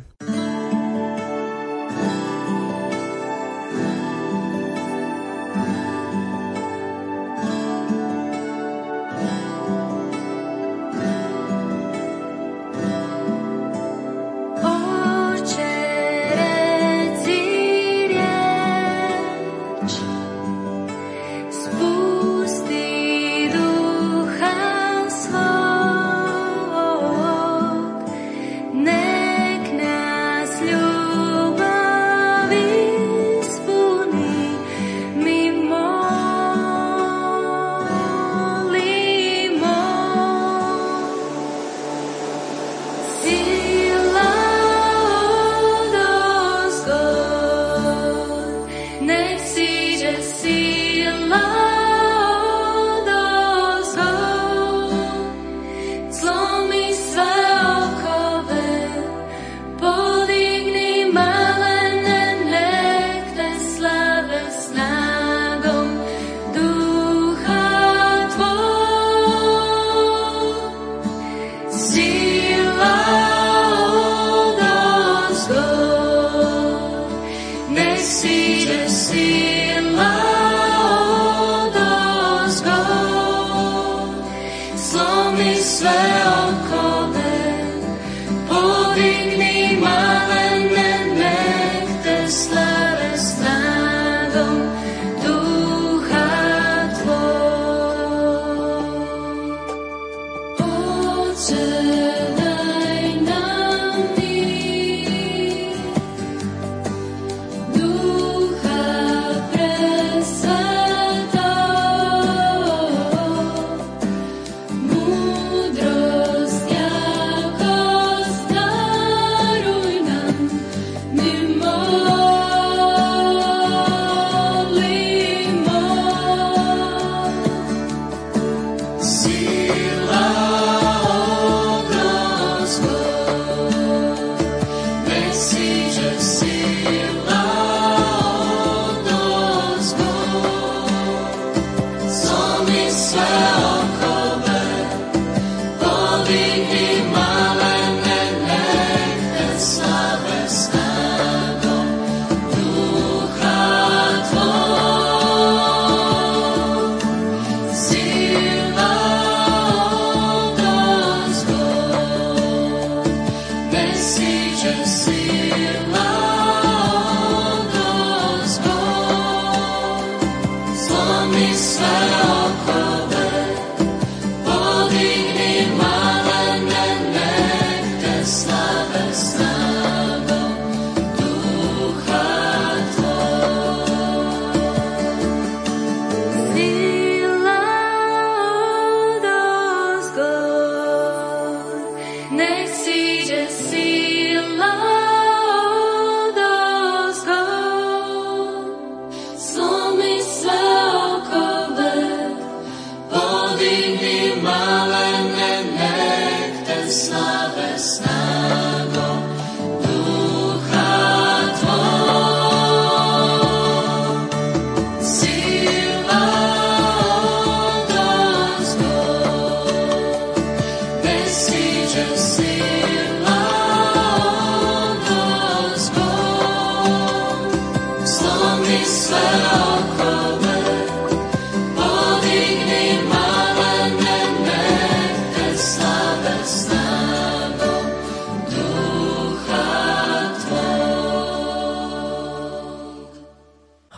Daj nam mir.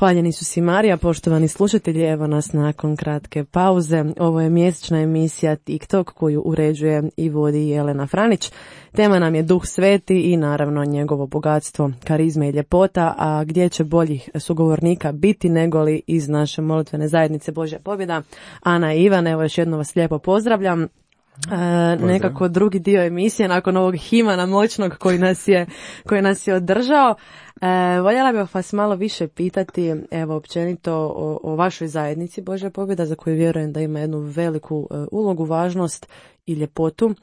Hvaljeni Isus i Marija, poštovani slušatelji, evo nas nakon kratke pauze. Ovo je mjesečna emisija TikTok koju uređuje i vodi Jelena Franić. Tema nam je Duh Sveti i naravno njegovo bogatstvo, karizme i ljepota, a gdje će boljih sugovornika biti negoli iz naše molitvene zajednice Božja pobjeda. Ana i Ivan, evo još jednom vas lijepo pozdravljam. E, nekako drugi dio emisije nakon ovog himana moćnog koji nas je, koji nas je održao. E, voljela bih vas malo više pitati, evo općenito o, o vašoj zajednici Božja pobjeda, za koju vjerujem da ima jednu veliku e, ulogu, važnost i ljepotu.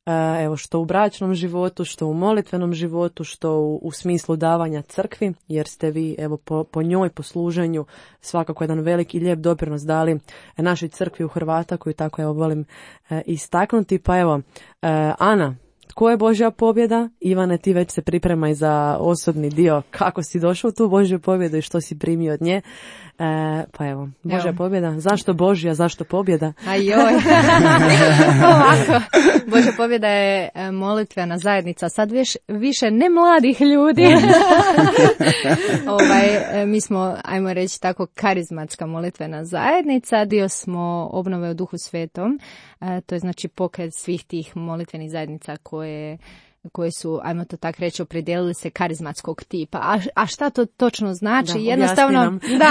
E, evo što u bračnom životu, što u molitvenom životu, što u, u smislu davanja crkvi, jer ste vi evo po, po njoj, po služenju svakako jedan velik i lijep doprinos dali našoj crkvi u Hrvata, koju tako evo volim e, istaknuti. Pa evo, e, Ana, tko je Božja pobjeda? Ivane, ti već se pripremaj za osobni dio. Kako si došao u tu Božju pobjedu i što si primio od nje? E, pa evo, Božja evo. pobjeda. Zašto Božja, zašto pobjeda? Ajoj. Ovako. Božja pobjeda je molitvena zajednica. Sad viš, više ne mladih ljudi. ovaj, mi smo, ajmo reći tako, karizmatska molitvena zajednica. Dio smo obnove u Duhu Svetom. E, to je znači pokret svih tih molitvenih zajednica koje koje su, ajmo to tak reći, opredijelili se karizmatskog tipa. A, a šta to točno znači? Da, jednostavno, da,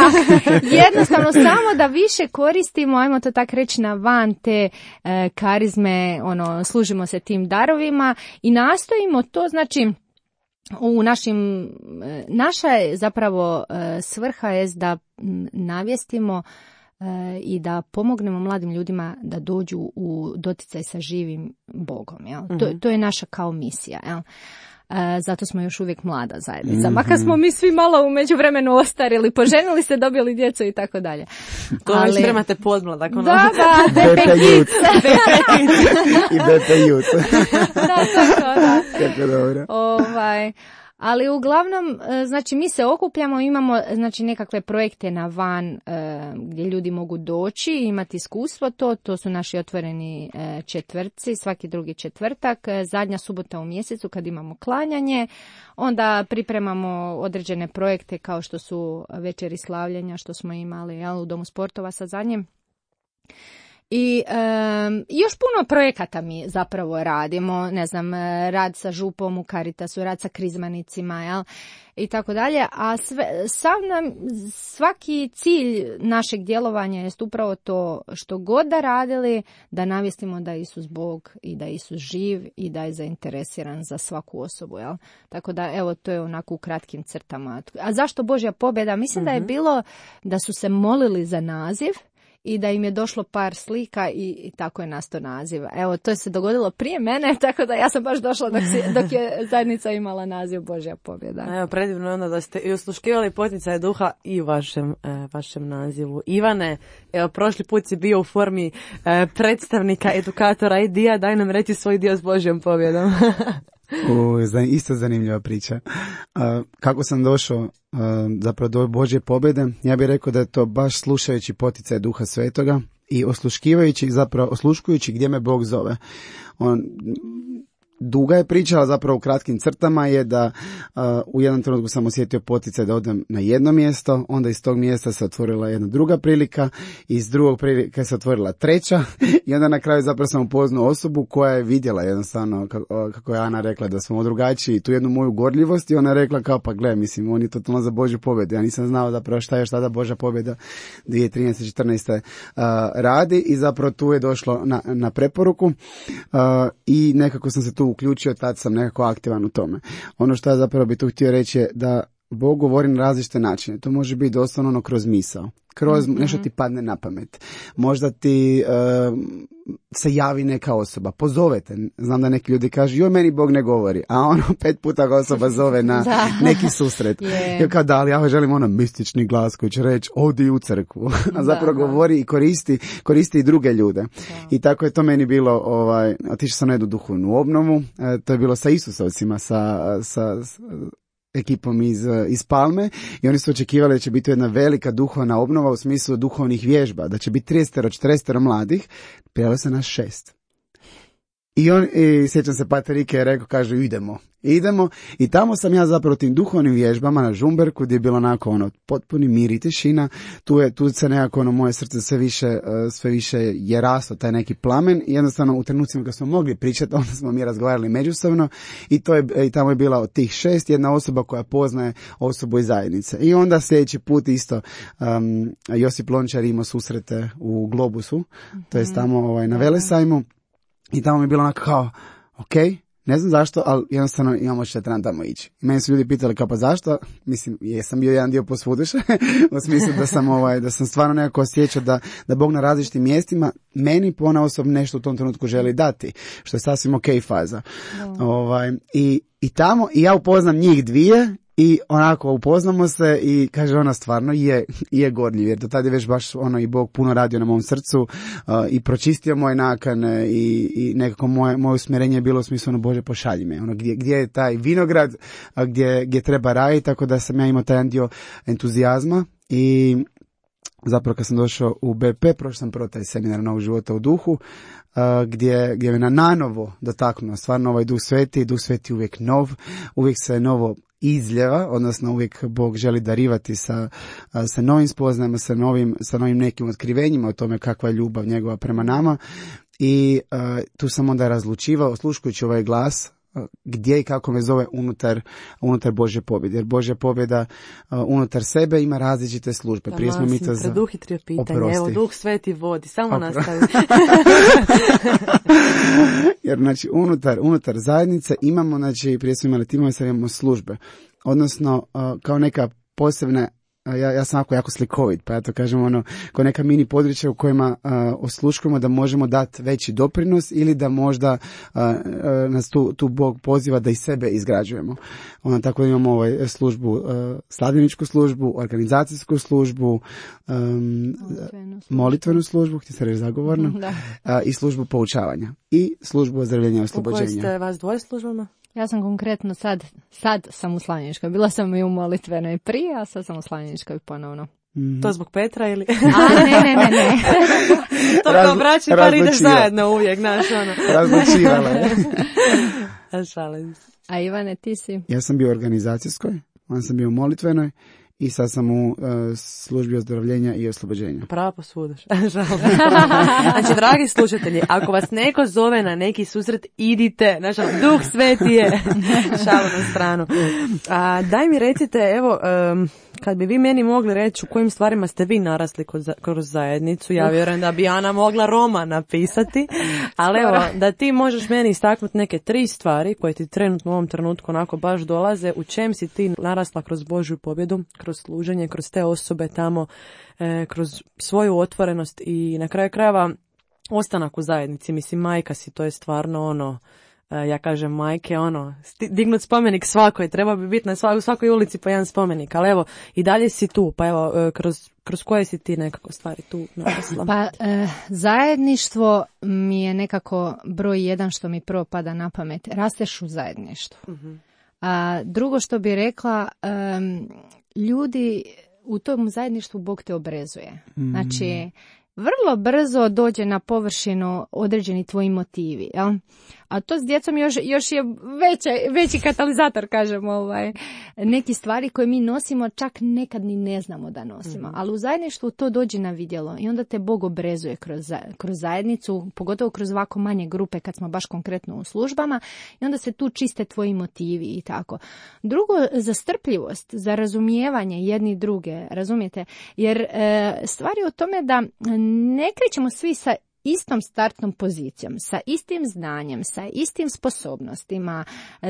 jednostavno samo da više koristimo, ajmo to tak reći, na van te e, karizme, ono, služimo se tim darovima i nastojimo to, znači, u našim, naša je zapravo e, svrha je da navjestimo i da pomognemo mladim ljudima da dođu u doticaj sa živim Bogom. Jel? Mm-hmm. To, to je naša kao misija. Jel? E, zato smo još uvijek mlada zajednica. Mm-hmm. Makar smo mi svi malo u međuvremenu ostarili, poženili se, dobili djecu i tako dalje. To ali... već spremate podmladak. Ono... Da, da, Bepe Youth. I Bepe Youth. Da, tako, da. Kako dobro. Ovaj... Ali uglavnom, znači, mi se okupljamo, imamo, znači, nekakve projekte na van e, gdje ljudi mogu doći, imati iskustvo to, to su naši otvoreni e, četvrtci, svaki drugi četvrtak, e, zadnja subota u mjesecu kad imamo klanjanje, onda pripremamo određene projekte kao što su večeri slavljenja, što smo imali, jel, u Domu sportova sa zadnjim. I um, još puno projekata mi zapravo radimo, ne znam, rad sa župom u Caritasu, rad sa krizmanicima, jel, i tako dalje, a sve, sav nam, svaki cilj našeg djelovanja jest upravo to što god da radili, da navijestimo da je Isus Bog i da je Isus živ i da je zainteresiran za svaku osobu, jel. Tako da, evo, to je onako u kratkim crtama. A zašto Božja pobjeda? Mislim mm-hmm. da je bilo da su se molili za naziv i da im je došlo par slika i, i tako je nastao naziv. Evo, to je se dogodilo prije mene, tako da ja sam baš došla dok, si, dok je zajednica imala naziv Božja pobjeda. Evo, predivno je onda da ste i osluškivali poticaje duha i u vašem, e, vašem nazivu. Ivane, evo, prošli put si bio u formi e, predstavnika, edukatora i dija, daj nam reći svoj dio s Božjom pobjedom. U, isto zanimljiva priča. Uh, kako sam došao uh, zapravo do Božje pobjede, ja bih rekao da je to baš slušajući poticaj Duha Svetoga i osluškivajući, zapravo osluškujući gdje me Bog zove. On, duga je priča, ali zapravo u kratkim crtama je da uh, u jednom trenutku sam osjetio poticaj da odem na jedno mjesto, onda iz tog mjesta se otvorila jedna druga prilika, iz drugog prilika se otvorila treća i onda na kraju zapravo sam upoznao osobu koja je vidjela jednostavno, kako, kako je Ana rekla, da smo drugačiji, tu jednu moju gorljivost i ona je rekla kao pa gle, mislim, on je totalno za Božju pobjedu. Ja nisam znao zapravo šta je šta da Božja pobjeda dvije tisuće trinaeste četrnaeste Uh, radi i zapravo tu je došlo na, na preporuku uh, i nekako sam se tu uključio, tad sam nekako aktivan u tome. Ono što ja zapravo bi tu htio reći je da Bog govori na različite načine. To može biti doslovno ono kroz misao. Kroz mm-hmm. nešto ti padne na pamet. Možda ti uh, se javi neka osoba, pozovete. Znam da neki ljudi kažu, joj, meni Bog ne govori. A ono, pet puta ga osoba zove na neki susret. Yeah. Ja kao da, ali ja želim ono mistični glas koji će reći, odi u crkvu. A zapravo da, govori i koristi, koristi i druge ljude. Da. I tako je to meni bilo, ovaj, otišao sam na jednu duhovnu obnovu. E, to je bilo sa Isusovcima, sa... sa, sa ekipom iz, iz Palme i oni su očekivali da će biti jedna velika duhovna obnova u smislu duhovnih vježba, da će biti trideset četrdeset mladih, prijavilo se nas šest. I on, i sjećam se, Pater Ike je rekao, kaže, idemo, idemo. I tamo sam ja zapravo tim duhovnim vježbama na Žumberku, gdje je bilo onako ono, potpuni mir i tišina. Tu je, tu se nekako ono, moje srce sve više, sve više je raslo, taj neki plamen. I jednostavno u trenucima kad smo mogli pričati, onda smo mi razgovarali međusobno. I, to je, i tamo je bila od tih šest jedna osoba koja poznaje osobu iz zajednice. I onda sljedeći put isto um, Josip Lončar imao susrete u Globusu, mm-hmm. to je tamo ovaj, na Velesajmu. I tamo mi je bilo onako kao, ok, ne znam zašto, ali jednostavno imamo što trebam tamo ići. I meni su ljudi pitali kao pa zašto, mislim, jesam bio jedan dio posvuduše, u smislu da sam, ovaj, da sam stvarno nekako osjećao da, da Bog na različitim mjestima meni ponaosob nešto u tom trenutku želi dati, što je sasvim ok faza. No. Ovaj, i, i tamo, i ja upoznam njih dvije, i onako upoznamo se i kaže ona stvarno je, je gorljiv, jer do tada je već baš ono i Bog puno radio na mom srcu uh, i pročistio moje nakane i, i nekako moje, moje usmjerenje je bilo u smislu ono Bože pošalji me, ono gdje, gdje je taj vinograd, a gdje, gdje treba raditi, tako da sam ja imao taj jedan dio entuzijazma i zapravo kad sam došao u B P, prošao sam prvo taj seminar Novog života u duhu, uh, gdje, gdje me na nanovo dotaknuo stvarno ovaj Duh Sveti, Duh Sveti uvijek nov, uvijek se novo izljeva, odnosno uvijek Bog želi darivati sa, sa novim spoznajama, sa novim, sa novim nekim otkrivenjima o tome kakva je ljubav njegova prema nama i uh, tu sam onda razlučivao, osluškujući ovaj glas, uh, gdje i kako me zove unutar, unutar Božje pobjede. Jer Božja pobjeda uh, unutar sebe ima različite službe. Prije smo mi to za... Preduhitrio pitanje, oprosti. Evo Duh Sveti vodi, samo Opro... nastavi. Jer znači unutar, unutar zajednice imamo, znači prije smo imali timove, sad imamo službe. Odnosno uh, kao neka posebna, uh, ja, ja sam jako, jako slikovit, pa ja to kažem ono, kao neka mini područja u kojima uh, osluškujemo da možemo dati veći doprinos ili da možda uh, uh, nas tu, tu Bog poziva da i sebe izgrađujemo. Onda tako imamo ovaj službu, uh, slavljeničku službu, organizacijsku službu, um, molitvenu, molitvenu službu, htio se reći zagovorno, uh, i službu poučavanja i službu ozdravljenja i oslobođenja. U kojoj ste vas dvoje službama? Ja sam konkretno sad, sad sam u Slavljeničkoj. Bila sam i u molitvenoj prije, a sad sam u Slavljeničkoj ponovno. Mm. To zbog Petra ili? A, ne, ne, ne, ne. To kao braći par ideš zajedno uvijek, znaš, ono. Razlučivala je. Šalim se. A Ivane, ti si? Ja sam bio u organizacijskoj, onda sam bio u molitvenoj i sad sam u uh, službi ozdravljenja i oslobođenja. Pravo posvudaš. Znači, dragi slušatelji, ako vas neko zove na neki susret, idite. Znači, Duh Sveti je. Šalu na stranu. A, daj mi recite, evo, um, kad bi vi meni mogli reći u kojim stvarima ste vi narasli kroz, kroz zajednicu, ja vjerujem da bi Ana mogla roman napisati, ali evo, da ti možeš meni istaknuti neke tri stvari koje ti trenutno u ovom trenutku onako baš dolaze, u čem si ti narasla kroz Božju pobjedu, kroz služenje, kroz te osobe tamo, e, kroz svoju otvorenost i na kraju krajeva ostanak u zajednici. Mislim, majka si, to je stvarno ono, ja kažem majke, ono, dignut spomenik svakoj, treba bi biti na svakoj, svakoj ulici po jedan spomenik, ali evo, i dalje si tu, pa evo, kroz, kroz koje si ti nekako stvari tu narasla? Pa, e, zajedništvo mi je nekako broj jedan što mi prvo pada na pamet. Rasteš u zajedništvu. Uh-huh. A drugo što bi rekla, um, ljudi u tom zajedništvu Bog te obrezuje. Mm. Znači, vrlo brzo dođe na površinu određeni tvoji motivi, jel? A to s djecom još, još je veće, veći katalizator, kažem, ovaj. Neki stvari koje mi nosimo čak nekad ni ne znamo da nosimo. Mm. Ali u zajedništvu to dođe na vidjelo i onda te Bog obrezuje kroz, kroz zajednicu, pogotovo kroz ovako manje grupe kad smo baš konkretno u službama i onda se tu čiste tvoji motivi i tako. Drugo, za strpljivost, za razumijevanje jedni druge, razumijete? Jer e, stvari o tome da ne krećemo svi sa istom startnom pozicijom, sa istim znanjem, sa istim sposobnostima,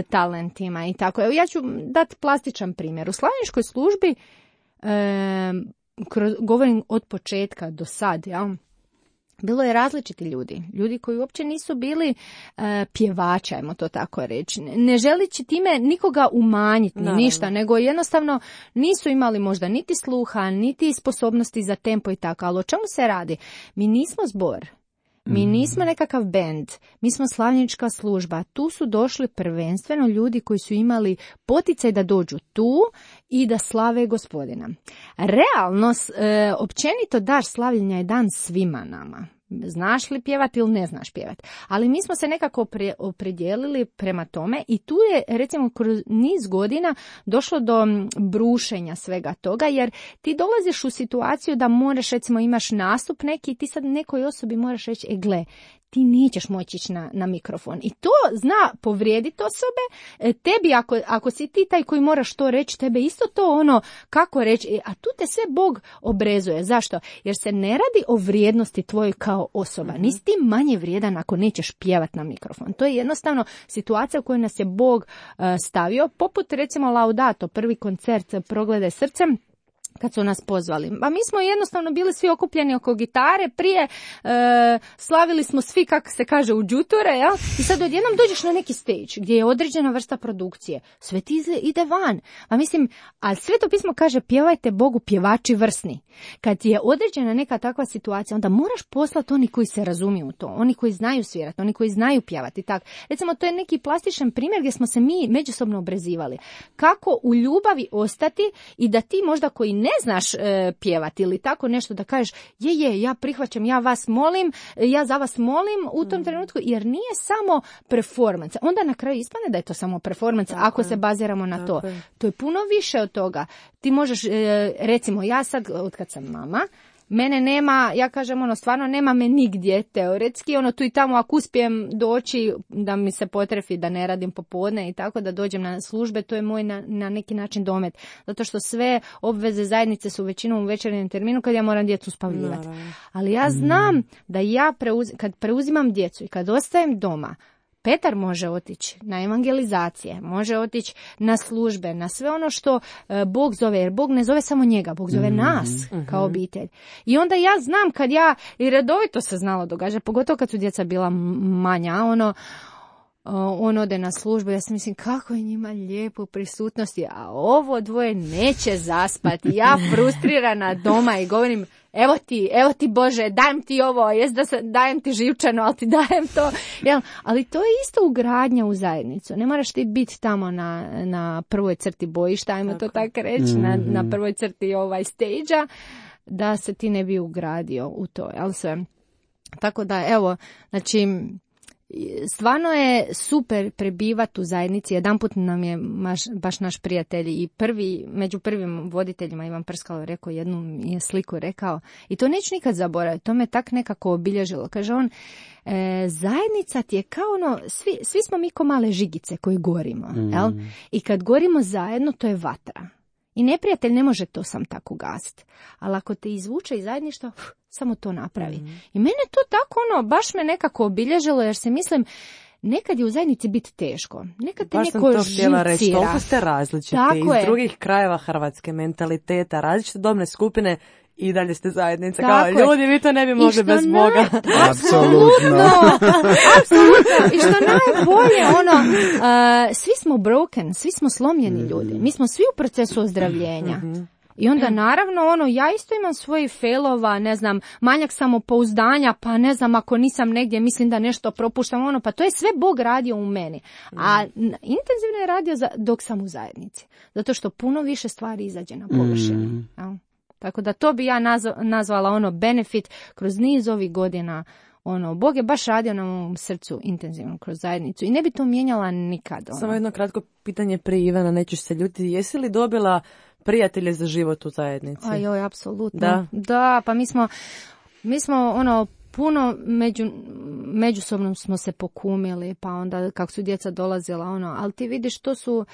talentima i tako. Evo, ja ću dati plastičan primjer. U slavničkoj službi, e, kroz, govorim od početka do sad, ja, bilo je različiti ljudi, ljudi koji uopće nisu bili uh, pjevači, ajmo to tako reći, ne želići time nikoga umanjiti, ni ništa, nego jednostavno nisu imali možda niti sluha, niti sposobnosti za tempo i tako, ali o čemu se radi? Mi nismo zbor. Mi nismo nekakav bend, mi smo slavnička služba. Tu su došli prvenstveno ljudi koji su imali poticaj da dođu tu i da slave Gospodina. Realno, e, općenito dar slavljenja je dan svima nama. Znaš li pjevati ili ne znaš pjevati. Ali mi smo se nekako opredijelili prema tome i tu je, recimo, kroz niz godina došlo do brušenja svega toga, jer ti dolaziš u situaciju da moraš, recimo, imaš nastup neki i ti sad nekoj osobi moraš reći, e gle, ti nećeš moći ići na, na mikrofon. I to zna povrijediti osobe. Tebi, ako, ako si ti taj koji moraš to reći, tebe isto to ono, kako reći, a tu te sve Bog obrezuje. Zašto? Jer se ne radi o vrijednosti tvojoj kao osoba. Mm-hmm. Nisi ti manje vrijedan ako nećeš pjevati na mikrofon. To je jednostavno situacija u kojoj nas je Bog uh, stavio. Poput, recimo, Laudato, prvi koncert Progledaj srcem, kad su nas pozvali. A mi smo jednostavno bili svi okupljeni oko gitare, prije e, slavili smo svi, kako se kaže, u džuture, ja? I sad odjednom dođeš na neki stage gdje je određena vrsta produkcije. Sve ti ide van. A mislim, a Sveto pismo kaže, pjevajte Bogu pjevači vrsni. Kad je određena neka takva situacija, onda moraš poslati oni koji se razumiju u to, oni koji znaju svirati, oni koji znaju pjevati. Tak. Recimo, to je neki plastičan primjer gdje smo se mi međusobno obrezivali. Kako u ljubavi ostati i da ti možda koji ne znaš e, pjevati ili tako nešto da kažeš, je, je, ja prihvaćam, ja vas molim, ja za vas molim u tom mm. trenutku, jer nije samo performance. Onda na kraju ispane da je to samo performance, tako ako je. se baziramo na tako to. Je. To je puno više od toga. Ti možeš, e, recimo, ja sad, od kad sam mama, mene nema, ja kažem, ono, stvarno nema me nigdje, teoretski, ono, tu i tamo, ako uspijem doći, da mi se potrefi da ne radim popodne i tako, da dođem na službe, to je moj na, na neki način domet. Zato što sve obveze zajednice su većinom u večernjem terminu kad ja moram djecu spavljivati. Ali ja znam da ja, preuz, kad preuzimam djecu i kad ostajem doma, Petar može otići na evangelizacije, može otići na službe, na sve ono što e, Bog zove, jer Bog ne zove samo njega, Bog zove mm-hmm. nas kao obitelj. I onda ja znam kad ja, i redovito se znalo događa, pogotovo kad su djeca bila manja, ono, on ode na službu, ja sam mislim kako je njima lijepo u prisutnosti, a ovo dvoje neće zaspati. Ja frustrirana doma i govorim, evo ti, evo ti Bože, dajem ti ovo, jest da se, dajem ti živčano, ali ti dajem to. Jel? Ali to je isto ugradnja u zajednicu. Ne moraš ti biti tamo na, na prvoj crti bojišta, ajmo tako. to tako reći, mm-hmm. na, na prvoj crti ovaj stage-a, da se ti ne bi ugradio u to. Jel sve? Tako da, evo, znači, stvarno je super prebivati u zajednici. Jedanput nam je baš, baš naš prijatelj i prvi, među prvim voditeljima Ivan Prskalo rekao, jednu je sliku rekao i to neću nikad zaboraviti, to me tak nekako obilježilo. Kaže on, e, zajednica ti je kao ono, svi, svi smo mi ko male žigice koji gorimo, mm. jel? I kad gorimo zajedno, to je vatra. I neprijatelj ne može to sam tako gasiti. Ali ako te izvuče iz zajedništva, uf, samo to napravi. Mm. I mene to tako, ono, baš me nekako obilježilo, jer se mislim, nekad je u zajednici biti teško. Nekad te baš neko sam to htjela reći, živcira. toliko ste različiti Tako iz je. drugih krajeva Hrvatske, mentaliteta, različite dobne skupine i dalje ste zajednice. Tako Kao, je. ljudi, vi to ne bi mogli bez naj... Boga. Apsolutno. Apsolutno. I što najbolje, ono, uh, svi smo broken, svi smo slomljeni ljudi. Mi smo svi u procesu ozdravljenja. Mhm. I onda naravno, ono, ja isto imam svojih failova, ne znam, manjak samopouzdanja, pa ne znam, ako nisam negdje, mislim da nešto propuštam, ono, pa to je sve Bog radio u meni. A intenzivno je radio za, dok sam u zajednici. Zato što puno više stvari izađe na površinu. Mm. Ja. Tako da to bi ja nazv, nazvala ono benefit kroz niz ovih godina. Ono, Bog je baš radio na mom srcu intenzivno kroz zajednicu i ne bi to mijenjala nikad. Ono. Samo jedno kratko pitanje prije Ivana, nećeš se ljutiti. Jesi li dobila prijatelje za život u zajednici? A joj, apsolutno. Da. Da, pa mi smo, mi smo ono, puno među, međusobno smo se pokumili, pa onda kako su djeca dolazila, ono, ali ti vidiš, to su,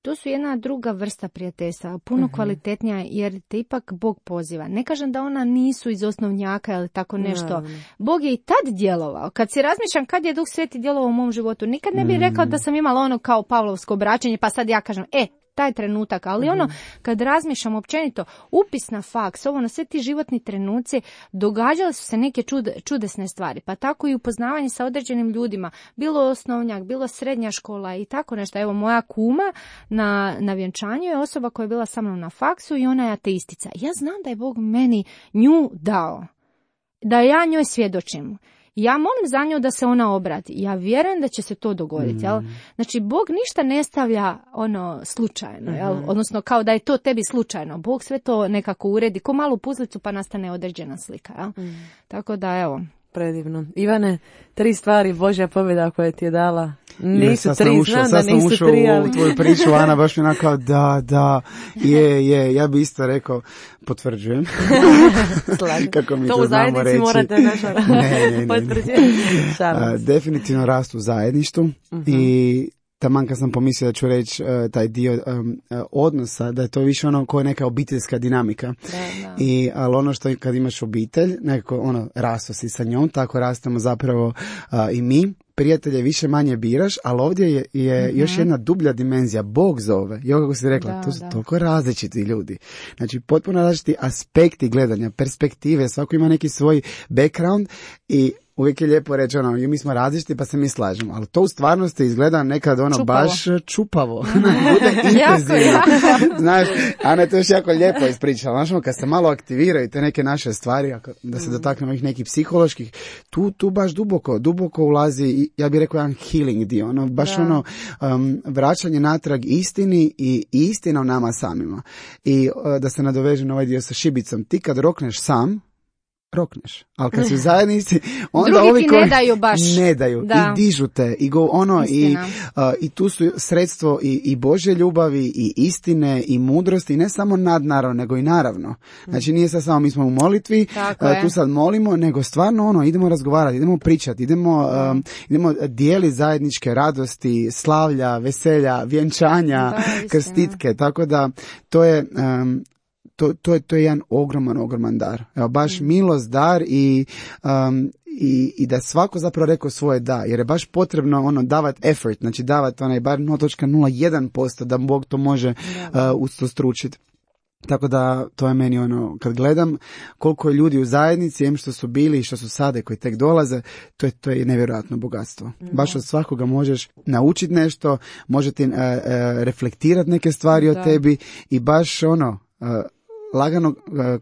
to su jedna druga vrsta prijateljstva, puno uh-huh. kvalitetnija, jer te ipak Bog poziva. Ne kažem da ona nisu iz osnovnjaka ili tako nešto. No. Bog je i tad djelovao. Kad si razmišljam kad je Duh Sveti djelovao u mom životu, nikad ne bih rekao da sam imala ono kao Pavlovsko obraćanje, pa sad ja kažem, e, taj trenutak, ali ono, kad razmišljam općenito, upis na faks, ovo na sve ti životni trenuci, događale su se neke čud, čudesne stvari, pa tako i upoznavanje sa određenim ljudima, bilo osnovnjak, bilo srednja škola i tako nešto. Evo, moja kuma na, na vjenčanju je osoba koja je bila sa mnom na faksu i ona je ateistica. Ja znam da je Bog meni nju dao, da ja njoj svjedočim. Ja molim za nju da se ona obrati. Ja vjerujem da će se to dogoditi. Jel? Znači, Bog ništa ne stavlja ono slučajno. Jel? Odnosno, kao da je to tebi slučajno. Bog sve to nekako uredi. Ko malu puzlicu pa nastane određena slika. Jel? Mm. Tako da, evo. Predivno. Ivane, tri stvari Božja pobjeda koja ti je dala. Nisu ja, tri, ušao, znam da nisu ušao tri, ali... u tvoju priču, Ana, baš mi onako, da, da, je, je, ja bi isto rekao, potvrđujem. Kako mi to, to u zajednici reći. Morate naša ne, ne, ne, potvrđivati. Definitivno rastu u zajedništvu uh-huh. i taman kad sam pomislio da ću reći uh, taj dio um, uh, odnosa, da je to više ono koja je neka obiteljska dinamika. Da, da. I, ali ono što kad imaš obitelj, nekako ono, rasto si sa njom, tako rastemo zapravo uh, i mi. Prijatelje više manje biraš, ali ovdje je, je mm-hmm. još jedna dublja dimenzija. Bog zove. I ovo kako si rekla, da, to su da. toliko različiti ljudi. Znači, potpuno različiti aspekti gledanja, perspektive, svako ima neki svoj background i uvijek je lijepo reći, ono, mi smo različiti pa se mi slažemo, ali to u stvarnosti izgleda nekad ono čupavo. baš čupavo. Bude intenzivno. Znaš, Ana je to još jako lijepo ispričala. Znaš, kad se malo aktiviraju te neke naše stvari, da se dotaknemo ih nekih psiholoških, tu, tu baš duboko, duboko ulazi, ja bih rekao, jedan healing dio, ono, baš da. ono, um, vraćanje natrag istini i istina o nama samima. I uh, da se nadoveže na ovaj dio sa šibicom, ti kad rokneš sam, rokneš. Ali kad si u zajednici, onda drugi ovi ti koji ne daju baš. Ne daju. Da. I dižu te. I, go, ono, i, uh, i tu su sredstvo i, i Božje ljubavi, i istine, i mudrosti. I ne samo nadnaravno, nego i naravno. Znači nije sad samo mi smo u molitvi, uh, tu sad molimo, nego stvarno ono, idemo razgovarati, idemo pričati, idemo, um, idemo dijeliti zajedničke radosti, slavlja, veselja, vjenčanja, da, krstitke. Tako da to je... Um, To, to, je, to je jedan ogroman, ogroman dar. Evo, baš mm. milost, dar i, um, i, i da svako zapravo rekao svoje da, jer je baš potrebno ono davati effort, znači davati onaj bar nula zarez nula jedan posto da Bog to može uh, ustostručiti. Tako da to je meni ono, kad gledam koliko je ljudi u zajednici, em što su bili i što su sada koji tek dolaze, to je, to je nevjerojatno bogatstvo. Mm. Baš od svakoga možeš naučiti nešto, možete uh, uh, reflektirati neke stvari da. o tebi i baš ono... Uh, lagano uh,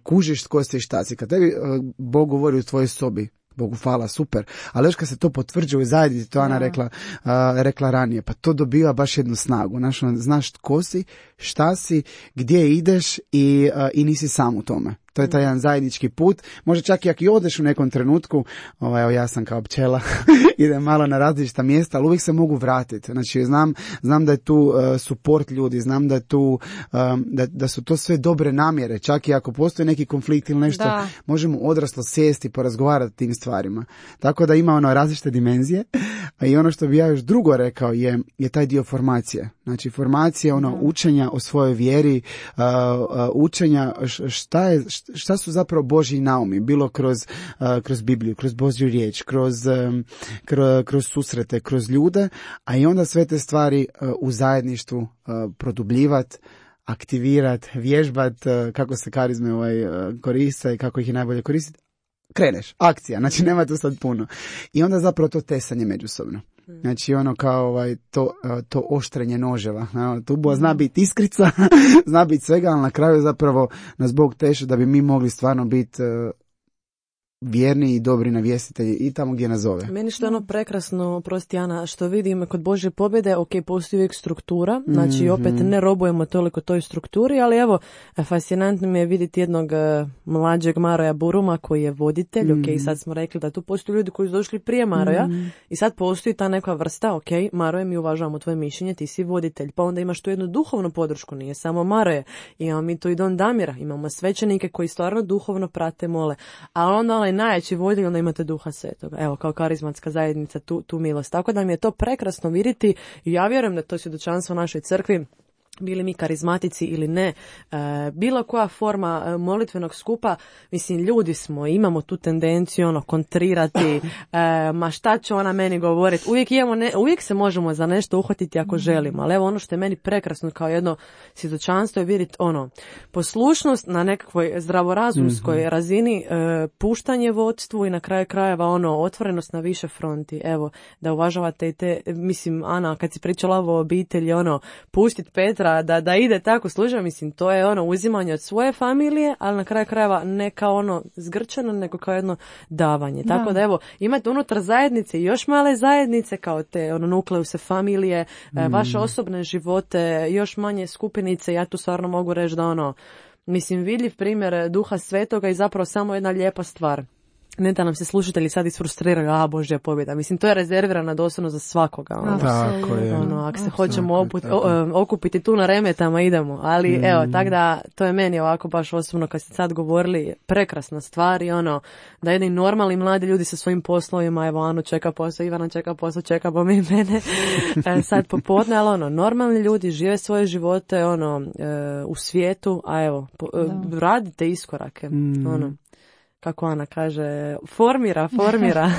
kužiš tko si i šta si. Kad tebi uh, Bog govori u tvojoj sobi, Bogu hvala, super, ali još kad se to potvrđuje u zajednici, to Ana rekla, uh, rekla ranije, pa to dobiva baš jednu snagu. Znaš, znaš tko si, šta si, gdje ideš i, uh, i nisi sam u tome. To je taj jedan zajednički put. Može čak i ako i odeš u nekom trenutku, ovaj, evo ja sam kao pčela, idem malo na različita mjesta, ali uvijek se mogu vratiti. Znači, znam, znam da je tu uh, support ljudi, znam da je tu, um, da, da su to sve dobre namjere. Čak i ako postoji neki konflikt ili nešto, da. Možemo odraslo sjesti i porazgovarati o tim stvarima. Tako da ima ono različite dimenzije. A i ono što bi ja još drugo rekao je, je taj dio formacije. Znači, formacija, ono, učenja o svojoj vjeri, uh, uh, učenja šta, je, šta su zapravo Božji naumi, bilo kroz, uh, kroz Bibliju, kroz Božju riječ, kroz, um, kroz, kroz susrete, kroz ljude, a i onda sve te stvari uh, u zajedništvu uh, produbljivati, aktivirat, vježbat, uh, kako se karizme ovaj, uh, koriste i kako ih je najbolje koristiti. Kreneš, akcija, znači nema tu sad puno. I onda zapravo to tesanje međusobno. Znači ono kao ovaj, to, to oštrenje noževa. Tu bo zna biti iskrica, zna biti svega, ali na kraju zapravo nas Bog teše da bi mi mogli stvarno biti uh, vjerni i dobri navjestitelji i tamo gdje nas zove. Meni što je ono prekrasno, prosti Ana, što vidim kod Božje pobjede, ok, postoji uvijek struktura, znači mm-hmm. opet ne robujemo toliko toj strukturi, ali evo, fascinantno mi je vidjeti jednog uh, mlađeg Maroja Buruma koji je voditelj, mm-hmm. ok, sad smo rekli da tu postoji ljudi koji su došli prije Maroja mm-hmm. i sad postoji ta neka vrsta, ok, Maroje, mi uvažavamo tvoje mišljenje, ti si voditelj, pa onda imaš tu jednu duhovnu podršku, nije samo Maroje, imamo mi tu i Don Damira, imamo svećenike koji stvarno duhovno prate, mole, a onda onaj najjači voditelj, onda imate Duha Svetoga. Evo, kao karizmatska zajednica, tu, tu milost. Tako da mi je to prekrasno vidjeti i ja vjerujem da to svjedočanstvo našoj crkvi, bili mi karizmatici ili ne, e, bilo koja forma molitvenog skupa, mislim, ljudi smo, imamo tu tendenciju ono, kontrirati, e, ma šta će ona meni govoriti, uvijek, imamo ne, uvijek se možemo za nešto uhvatiti ako želimo, ali evo ono što je meni prekrasno kao jedno svjedočanstvo je vidjeti ono, poslušnost na nekakvoj zdravorazumskoj mm-hmm. razini, e, puštanje vodstvu i na kraju krajeva ono, otvorenost na više fronti, evo, da uvažavate i te, mislim, Ana, kad si pričala o obitelji, ono, pustit Petra Da, da ide tako služba, mislim, to je ono uzimanje od svoje familije, ali na kraju krajeva ne kao ono zgrčano, nego kao jedno davanje. Da. Tako da evo, imate unutar zajednice još male zajednice, kao te ono nukleuse familije, mm. vaše osobne živote, još manje skupinice, ja tu stvarno mogu reći da ono, mislim, vidljiv primjer Duha Svetoga i zapravo samo jedna lijepa stvar. Ne da nam se slušatelji sad isfrustriraju, a Božja pobjeda. Mislim, to je rezervirano doslovno za svakoga. Ono. Tako je. Ono, ako se hoćemo oput, o, okupiti tu na remetama, idemo. Ali mm. evo, tak da, to je meni ovako baš osobno, kad ste sad govorili, prekrasna stvar i ono, da jedni normalni mladi ljudi sa svojim poslovima, evo, Anu čeka posao, Ivana čeka posao, čeka bo mi mene e, sad popodne, ali ono, normalni ljudi žive svoje živote, ono, e, u svijetu, a evo, po, e, radite iskorake, mm. ono. Kako Ana kaže, formira, formira.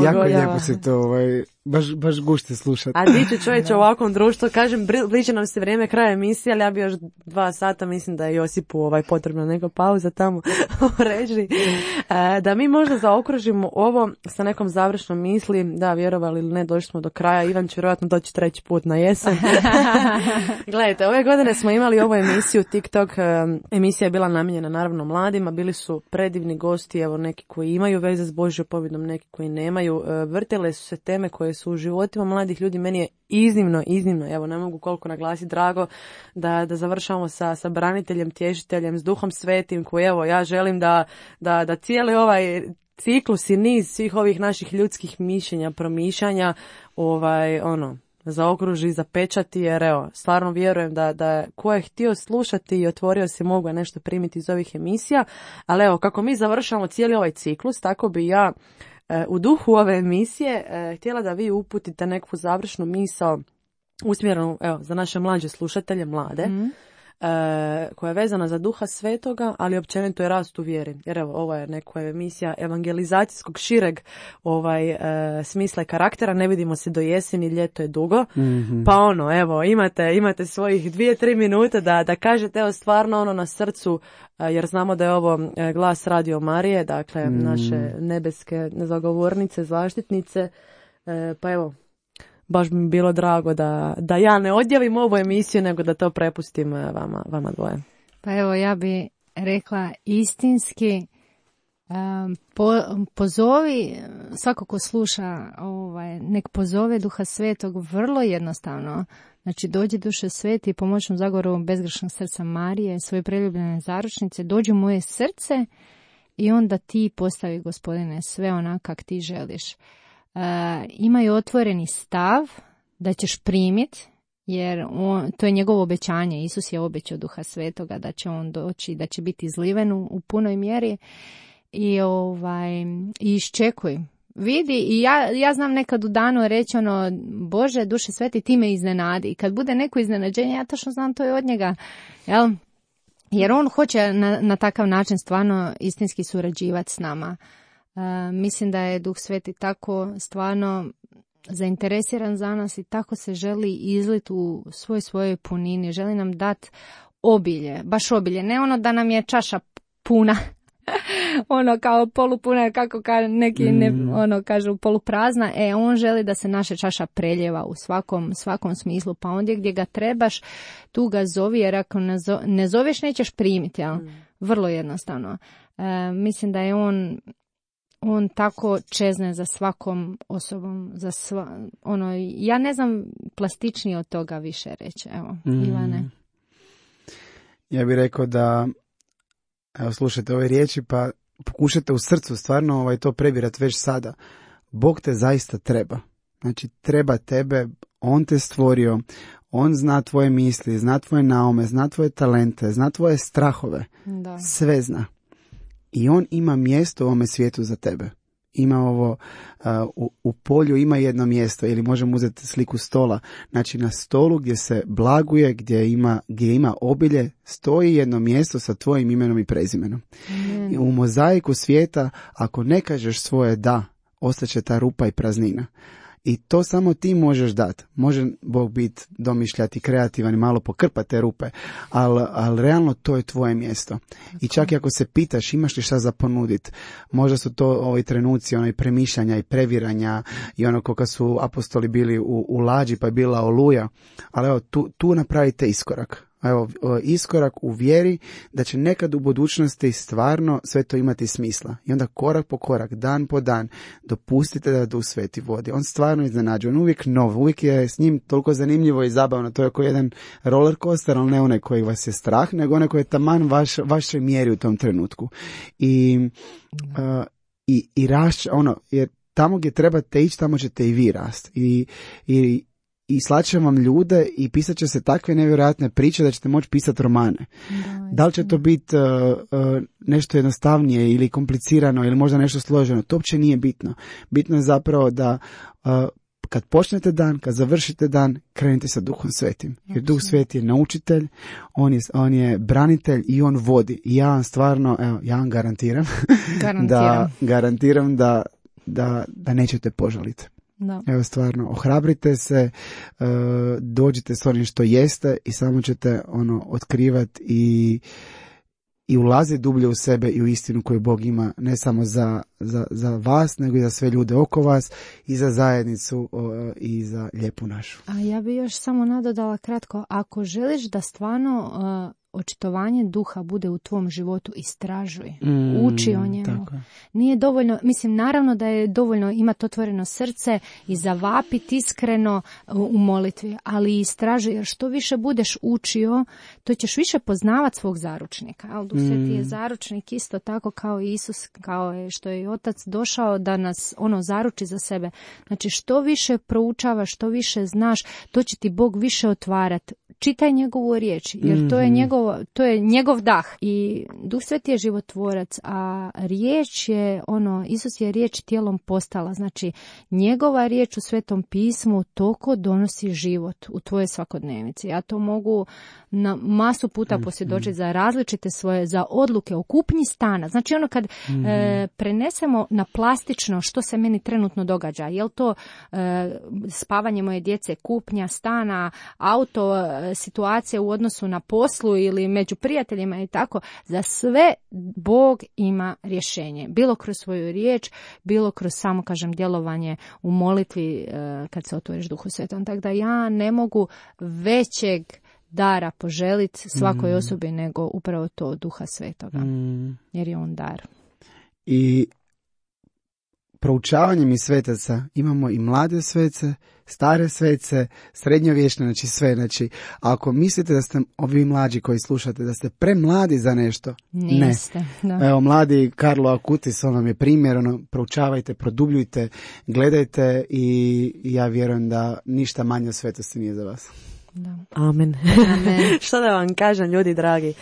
Jako lijepo se to, ovaj, baš, baš gušte slušati. A di ću čovječe u ovakvom društvu, kažem, bliže nam se vrijeme kraja emisije, ali ja bi još dva sata, mislim da je Josipu ovaj, potrebna neka pauza tamo u režiji. E, da mi možda zaokružimo ovo sa nekom završnom misli, da, vjerovali ili ne, došli smo do kraja, Ivan će vjerojatno doći treći put na jesen. Gledajte, ove godine smo imali ovu emisiju TikTok, emisija je bila namijenjena naravno mladima, bili su predivni gosti, evo neki koji imaju veze s Božjom pobjedom, neki koji nemaju, vrtele su se teme koje su u životima mladih ljudi, meni je iznimno, iznimno, evo ne mogu koliko naglasiti, drago da, da završamo sa, sa braniteljem, tješiteljem, s Duhom Svetim, koji evo ja želim da, da, da cijeli ovaj ciklus i niz svih ovih naših ljudskih mišljenja, promišljanja, ovaj, ono, zaokruži, zapečati, jer evo, stvarno vjerujem da, da ko je htio slušati i otvorio se mogu nešto primiti iz ovih emisija, ali evo, kako mi završamo cijeli ovaj ciklus, tako bi ja u duhu ove emisije htjela da vi uputite neku završnu misao usmjerenu, evo, za naše mlađe slušatelje, mlade, mm. e, koja je vezana za Duha Svetoga, ali općenito je rast u vjeri. Jer evo, ovo je neka emisija evangelizacijskog šireg ovaj, e, smisla i karaktera, ne vidimo se do jeseni, ljeto je dugo, mm-hmm. pa ono, evo, imate, imate svojih dvije, tri minute da, da kažete, evo, stvarno ono na srcu, jer znamo da je ovo glas Radio Marije, dakle mm. naše nebeske zagovornice, zaštitnice, e, pa evo, baš bi mi bilo drago da, da ja ne odjavim ovu emisiju, nego da to prepustim vama, vama dvoje. Pa evo, ja bi rekla istinski, um, po, pozovi, svako ko sluša, ovaj, nek pozove Duha Svetog vrlo jednostavno. Znači, dođi duše sveti, pomoćnom zagovoru bezgrešnog srca Marije, svoje preljubljene zaručnice, dođi u moje srce i onda ti postavi, Gospodine, sve onako kak ti želiš. E, imaju otvoreni stav da ćeš primiti, jer on, to je njegovo obećanje. Isus je obećao Duha Svetoga da će on doći, da će biti izliven u, u punoj mjeri i, ovaj, i iščekuj. Vidi, i ja, ja znam nekad u danu reći ono, Bože, duše sveti, ti me iznenadi. I kad bude neko iznenađenje, ja točno znam to je od njega. Jel? Jer on hoće na, na takav način stvarno istinski surađivati s nama. Uh, mislim da je Duh Sveti tako stvarno zainteresiran za nas i tako se želi izliti u svoj svojoj punini. Želi nam dati obilje, baš obilje. Ne ono da nam je čaša puna, ono kao polupuna, kako ka, neki ne, ono kažu poluprazna. E, on želi da se naša čaša preljeva u svakom, svakom smislu. Pa ondje gdje ga trebaš, tu ga zovi, jer ako ne, zo, ne zoveš, nećeš primiti. Jel? Mm. Vrlo jednostavno. E, mislim da je on... On tako čezne za svakom osobom, za sva, ono, ja ne znam plastičnije od toga više reći, evo, mm. Ivane. Ja bih rekao da, evo, slušajte ove riječi, pa pokušajte u srcu stvarno ovaj, to prebirati već sada. Bog te zaista treba. Znači, treba tebe, on te stvorio, on zna tvoje misli, zna tvoje naume, zna tvoje talente, zna tvoje strahove, da. Sve zna. I on ima mjesto u ovome svijetu za tebe. Ima ovo, uh, u, u polju ima jedno mjesto, ili možemo uzeti sliku stola. Znači na stolu gdje se blaguje, gdje ima, gdje ima obilje, stoji jedno mjesto sa tvojim imenom i prezimenom. Mm. I u mozaiku svijeta, ako ne kažeš svoje da, ostaće ta rupa i praznina. I to samo ti možeš dati. Može Bog biti domišljati, kreativan i malo pokrpati te rupe, ali al realno to je tvoje mjesto. I čak i ako se pitaš imaš li šta za ponuditi, možda su to ovi trenuci onaj premišljanja i previranja i ono koga su apostoli bili u, u lađi pa je bila oluja, ali evo tu, tu napravite iskorak. Evo, iskorak u vjeri da će nekad u budućnosti stvarno sve to imati smisla. I onda korak po korak, dan po dan, dopustite da Duh Sveti vodi. On stvarno iznenađuje, on uvijek nov, uvijek je s njim toliko zanimljivo i zabavno. To je kao jedan roller coaster, ali ne onaj koji vas je strah, nego onaj koji je taman vaš, vašoj mjeri u tom trenutku. I, uh, i, i rašć, ono, jer tamo gdje trebate ići, tamo ćete i vi rast. I, i I slaće vam ljude i pisat će se takve nevjerojatne priče da ćete moći pisati romane. Da, da li će to biti uh, uh, nešto jednostavnije ili komplicirano ili možda nešto složeno, to uopće nije bitno. Bitno je zapravo da uh, kad počnete dan, kad završite dan, krenite sa Duhom Svetim. Jer Duh Sveti je naučitelj, on je, on je branitelj i on vodi. I ja vam stvarno, evo, ja vam garantiram, da, garantiram da, da, da nećete požaliti. Da. Evo stvarno, ohrabrite se, uh, dođite s onim što jeste i samo ćete ono otkrivati i, i ulaziti dublje u sebe i u istinu koju Bog ima ne samo za, za, za vas, nego i za sve ljude oko vas i za zajednicu uh, i za lijepu našu. A ja bi još samo nadodala kratko, ako želiš da stvarno uh, očitovanje duha bude u tvom životu, istražuj, mm, uči o njemu. Tako. Nije dovoljno, mislim, naravno da je dovoljno imati otvoreno srce i zavapiti iskreno u molitvi, ali istražuj, jer što više budeš učio, to ćeš više poznavati svog zaručnika. Ali Duh Sveti je zaručnik isto tako kao Isus, kao je što je Otac došao da nas ono zaruči za sebe. Znači, što više proučavaš, što više znaš, to će ti Bog više otvarati. Čitaj njegovu riječ, jer to je njegov, to je njegov dah. I Duh Sveti je životvorac, a riječ je, ono, Isus je riječ tijelom postala. Znači, njegova riječ u Svetom pismu toliko donosi život u tvoje svakodnevici. Ja to mogu na masu puta posvjedočiti za različite svoje, za odluke o kupnji stana. Znači, ono kad mm. e, prenesemo na plastično što se meni trenutno događa, je li to e, spavanje moje djece, kupnja stana, auto, situacije u odnosu na poslu ili među prijateljima i tako, za sve Bog ima rješenje. Bilo kroz svoju riječ, bilo kroz samo, kažem, djelovanje u molitvi kad se otvoriš Duhu Svetom. Tako da ja ne mogu većeg dara poželiti svakoj mm. osobi nego upravo to Duha Svetoga. Mm. Jer je on dar. I proučavanjem i svetaca imamo i mlade svece, stare svece, srednjovječne, znači sve. Znači, ako mislite da ste, ovi mlađi koji slušate, da ste premladi za nešto, niste. Ne. Da. Evo, mladi Carlo Acutis, on vam je primjer, ono, proučavajte, produbljujte, gledajte i, i ja vjerujem da ništa manje svetosti nije za vas. Da. Amen. Amen. Što da vam kažem, ljudi dragi? E,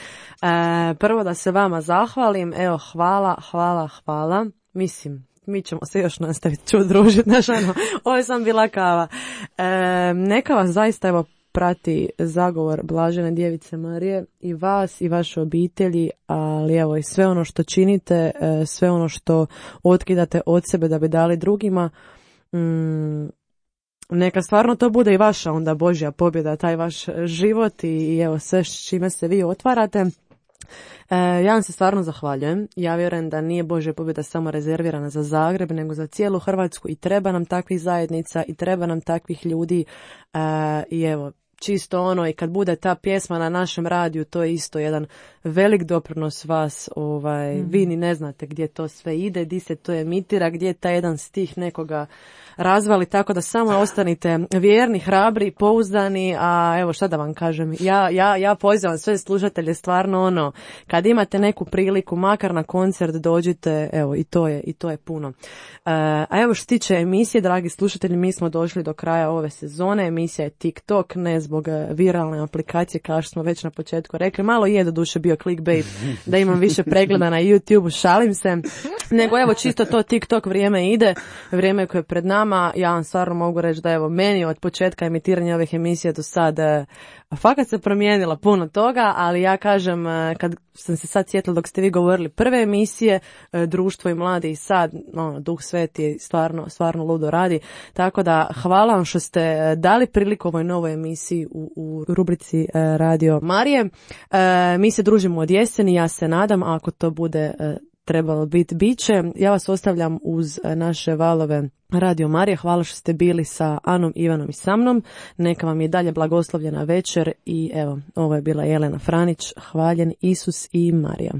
prvo da se vama zahvalim. Evo, hvala, hvala, hvala. Mislim, mi ćemo se još nastaviti ču družiti. Znaš, ono, ovo je sam bila kava. E, neka vas zaista, evo, prati zagovor Blažene Djevice Marije i vas i vaše obitelji, ali evo i sve ono što činite, sve ono što otkidate od sebe da bi dali drugima, mm, neka stvarno to bude i vaša onda Božja pobjeda, taj vaš život i, i evo sve s čime se vi otvarate. E, ja vam se stvarno zahvaljujem. Ja vjerujem da nije Božja pobjeda samo rezervirana za Zagreb, nego za cijelu Hrvatsku i treba nam takvih zajednica i treba nam takvih ljudi e, i evo, čisto ono, i kad bude ta pjesma na našem radiju, to je isto jedan velik doprinos vas, ovaj, mm. vi ni ne znate gdje to sve ide, gdje se to emitira, gdje je taj jedan stih nekoga razvali, tako da samo ostanite vjerni, hrabri, pouzdani, a evo šta da vam kažem, ja, ja, ja pozivam sve slušatelje stvarno ono, kad imate neku priliku, makar na koncert dođite, evo i to je, i to je puno. E, a evo što tiče emisije, dragi slušatelji, mi smo došli do kraja ove sezone, emisija je TikTok, ne zbog viralne aplikacije, kao što smo već na početku rekli, malo je do duše bio clickbait, da imam više pregleda na YouTube, šalim se, nego evo čisto to TikTok vrijeme ide, vrijeme koje je pred nama. Ja vam stvarno mogu reći da evo meni od početka emitiranja ovih emisija do sad fakat se promijenila puno toga, ali ja kažem kad sam se sad sjetila dok ste vi govorili prve emisije, društvo i mladi i sad, no, Duh Sveti stvarno, stvarno ludo radi, tako da hvala vam što ste dali priliku ovoj novoj emisiji u, u rubrici Radio Marije. Mi se družimo od jeseni, ja se nadam, a ako to bude trebalo biti, bit će. Ja vas ostavljam uz naše valove Radio Marije. Hvala što ste bili sa Anom, Ivanom i sa mnom. Neka vam je dalje blagoslovljena večer i evo, ovo je bila Jelena Franić. Hvaljen Isus i Marija.